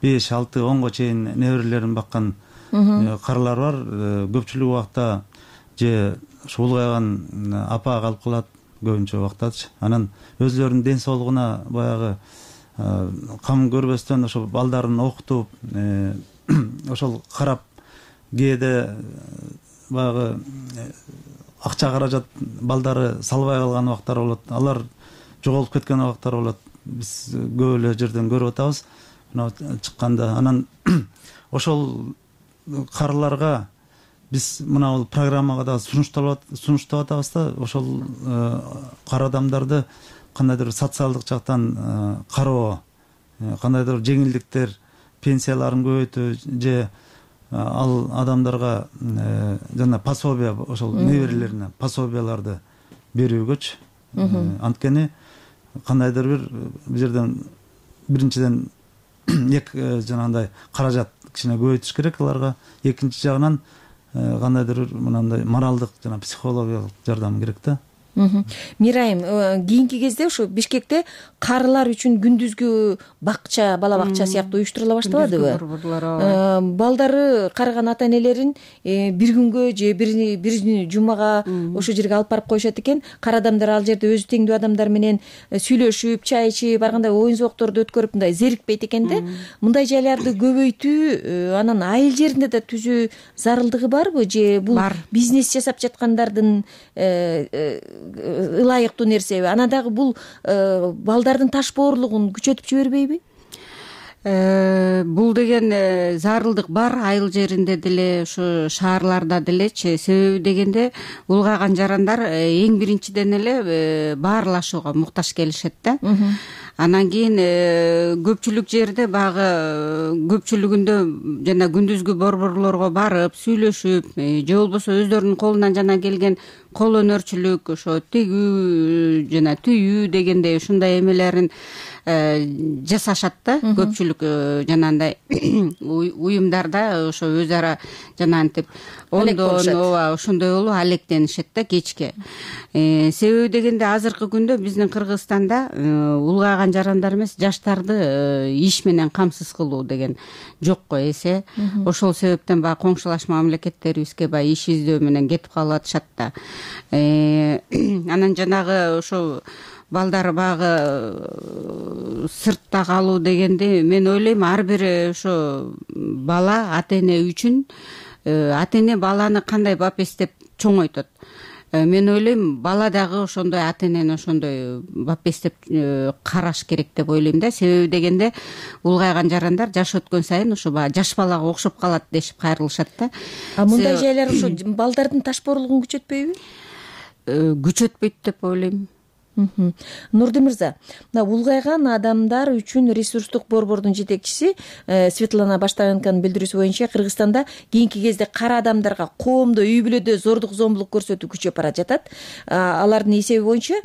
5, 6, 10го чейин неберелерин баккан каралар бар. Көпчүлүк убакта же улгайган апа калып калат көбүнчө убактачы. Анан өзлөрүнүн ден соолугуна баягы кам көрбөстөн ошо балдарын окутуп, ошол карап кээде баягы акча каражат балдары салбай калган убактар болот. Алар жоголуп кеткен убактар болот. Биз көп эле жерден көрүп атабыз. Мына чыкканда анан ошол караларга биз мына бул программага да сунуштап атабыз да. Ошол кара адамдарды кандайдыр социалдык жактан кароо, кандайдыр жеңилдиктер, пенсияларын көбөйтүү же ал адамдарга жана пособие, ошол неберелерине пособияларды берүүгөчү. Анткени кандайдыр бир бул жерден биринчиден жанагындай каражат кичине көбөйтүш керек аларга. Экинчи жагынан кандайдыр бир мынандай моралдык жана психологиялык жардам керек да. Мирайым, кийинки кезде ушу Бишкекте карылар үчүн күндүзгү бакча, бала бакча сыяктуу уюштурула баштабадыбы? Балдары карыган ата энелерин бир күнгө же бир жумага ошол жерге алып барып коюшат экен. Кара адамдар ал жерде өзү теңдүү адамдар менен сүйлөшүп, чай ичип, ар кандай оюн зоокторду өткөрүп мындай зерикпейт экен да. Мындай жайларды көбөйтүү, анан айыл жеринде да түзүү зарылдыгы барбы же бул бизнес жасап жаткандардын ылайыктуу нерсеби? Анан дагы бул балдардын таш боорлугун күчөтүп жибербейби? Бул деген зарылдык бар айыл жеринде деле, ушу шаарларда делечи. Себеби дегенде улгайган жарандар эң биринчиден эле баарлашууга муктаж келишет да. Анан кийин көпчүлүк жерде багы көпчүлүгүндө жана күндүзгү борборлорго барып сүйлөшүп, же болбосо өздөрүнүн колунан жана келген кол өнөрчүлүк, ошо тигүү жана түйүү дегендей ушундай эмелерин жасашат да. Көпчүлүк жанагындай уюмдарда ошо өз ара жанагынтип ондон ооба ошондой болуп алектенишет да кечке. Себеби дегенде азыркы күндө биздин Кыргызстанда улгайган жарандар эмес, жаштарды иш менен камсыз кылуу деген жокко эсе. Ошол себептен баягы коңшулаш мамлекеттерибизге баягы иш издөө менен кетип калып атышат да. Анан жанагы ошо балдар багы сыртта калуу дегенде мен ойлойм ар бир ошо бала ата эне үчүн ата эне баланы кандай бапестеп чоңойтот. Мен ойлойм бала дагы ошондой ата энени ошондой бапестеп караш керек деп ойлойм да. Себеби дегенде улгайган жарандар жаш өткөн сайын ошо баягы жаш балага окшоп калат дешип кайрылышат да. Мындай жайлар ошо балдардын таш боорлугун күчөтпөйбү? Күчөтпөйт деп ойлойм. Нурдин мырза, мына улгайган адамдар үчүн ресурстук борбордун жетекчиси Светлана Баштаганканын билдирүүсү боюнча Кыргызстанда кийинки кезде кара адамдарга коомдо, үй бүлөдө зордук зомбулук көрсөтүү күчөп бара жатат. Алардын эсеби боюнча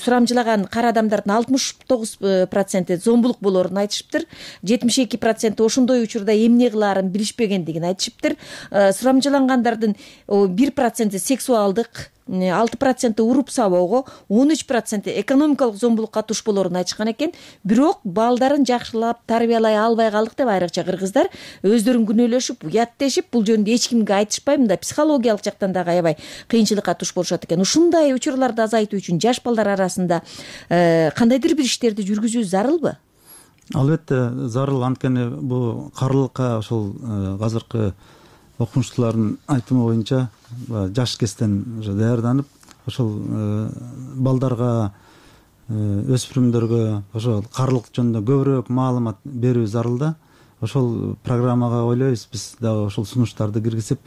сурамжылаган кара адамдардын 69% зомбулук болоорун айтышыптыр. 72% ошондой учурда эмне кылаарын билишпегендигин айтышыптыр. Сурамжылангандардын 1% сексуалдык, 6% уруп сабоого, 13% экономикалык зомбулукка туш болоорун айтышкан экен. Бирок балдарын жакшылап тарбиялай албай калдык деп айрыкча кыргыздар өздөрүн күнөөлөшүп, уяттешип, бул жөнүндө эч кимге айтышпай, мындай психологиялык жактан дагы аябай кыйынчылыкка туш болушат экен. Ушундай учурларды азайтуу үчүн жаш балдар арасында кандайдыр бир иштерди жүргүзүү зарылбы? албетте зарыл. Анткени бул карылыкка ошол азыркы окумуштуулардын айтымы боюнча жаш кезден уже даярданып ошол балдарга, өспүрүмдөргө ошол карылык жөнүндө көбүрөөк маалымат берүү зарыл да. Ошол программага ойлойбуз биз дагы ошол сунуштарды киргизип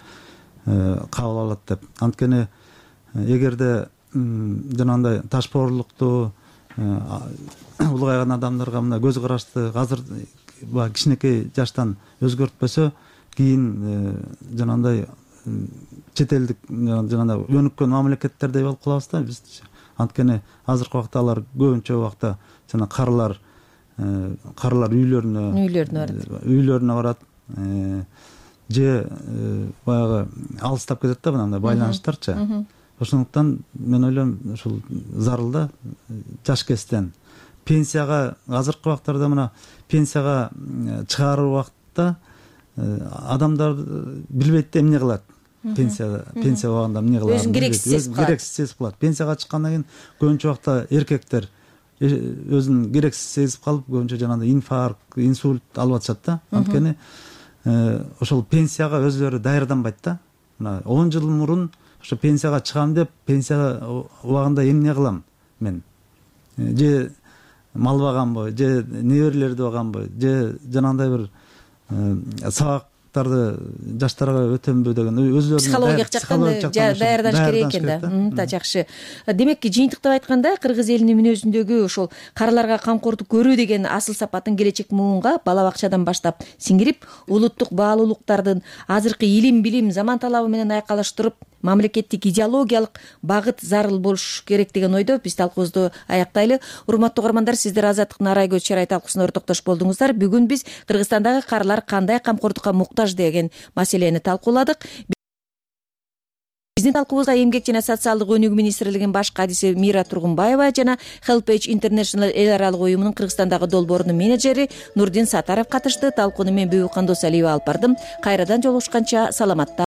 кабыл алат деп. Анткени эгерде жанагындай ташпоорлукту улгайган адамдарга мына көз карашты азыр баягы кичинекей жаштан өзгөртпөсө, кийин жанагындай чет элдик жанагындай өнүккөн мамлекеттердей болуп калабыз да биз. Анткени азыркы убакта алар көбүнчө убакта жана карылар үйлөрүнө барат, же баягы алыстап кетет да мындай байланыштарчы. Ошондуктан мен ойлойм ушул зарыл да жаш кезден пенсияга, азыркы убактарда мына пенсияга чыгаруу убактта адамдар билбейт да эмне кылат. Пенсия убагында эмне кылат? Өзүн керексиз сезип калат. Пенсияга чыккандан кийин көбүнчө убакта эркектер өзүн керексиз сезип калып, көбүнчө жанагындай инфаркт, инсульт алып атышат да. Анткени ошол пенсияга өзүлөрү даярданбайт да. Мына 10 жыл мурун ошо пенсияга чыгам деп, пенсия убагында эмне кылам мен? Же мал багамбы, же неберелерди багамбы, же жанагындай бир сабактарды жаштарга өтөмбү деген өзүлөрүнүн психологиялык жактан даярданыш керек экен да. Да, жакшы. Демек, жыйынтыктап айтканда, кыргыз элинин мүнөзүндөгү ошол карыларга камкордук көрүү деген асыл сапатын келечек муунга бала бакчадан баштап сиңирип, улуттук баалуулуктардын азыркы илим, билим, заман талабы менен айкалыштырып, мамлекеттик идеологиялык багыт зарыл болуш керек деген ойдо биз талкуубузду аяктайлы. Урматтуу угармандар, сиздер Азаттыктын Арай көз чарай талкуусуна ортоктош болдуңуздар. Бүгүн биз Кыргызстандагы карылар кандай камкордукка муктаж деген маселени талкууладык. Биздин талкуубузга Эмгек жана социалдык өнүгүү министрлигинин баш кадиси Мира Тургунбаева жана HelpAge International эл аралык уюмунун Кыргызстандагы долбоорунун менеджери Нурдин Сатаров катышты. Талкууну мен Бүбү Кандосалиева алып бардым. Кайрадан жолугушканча саламатта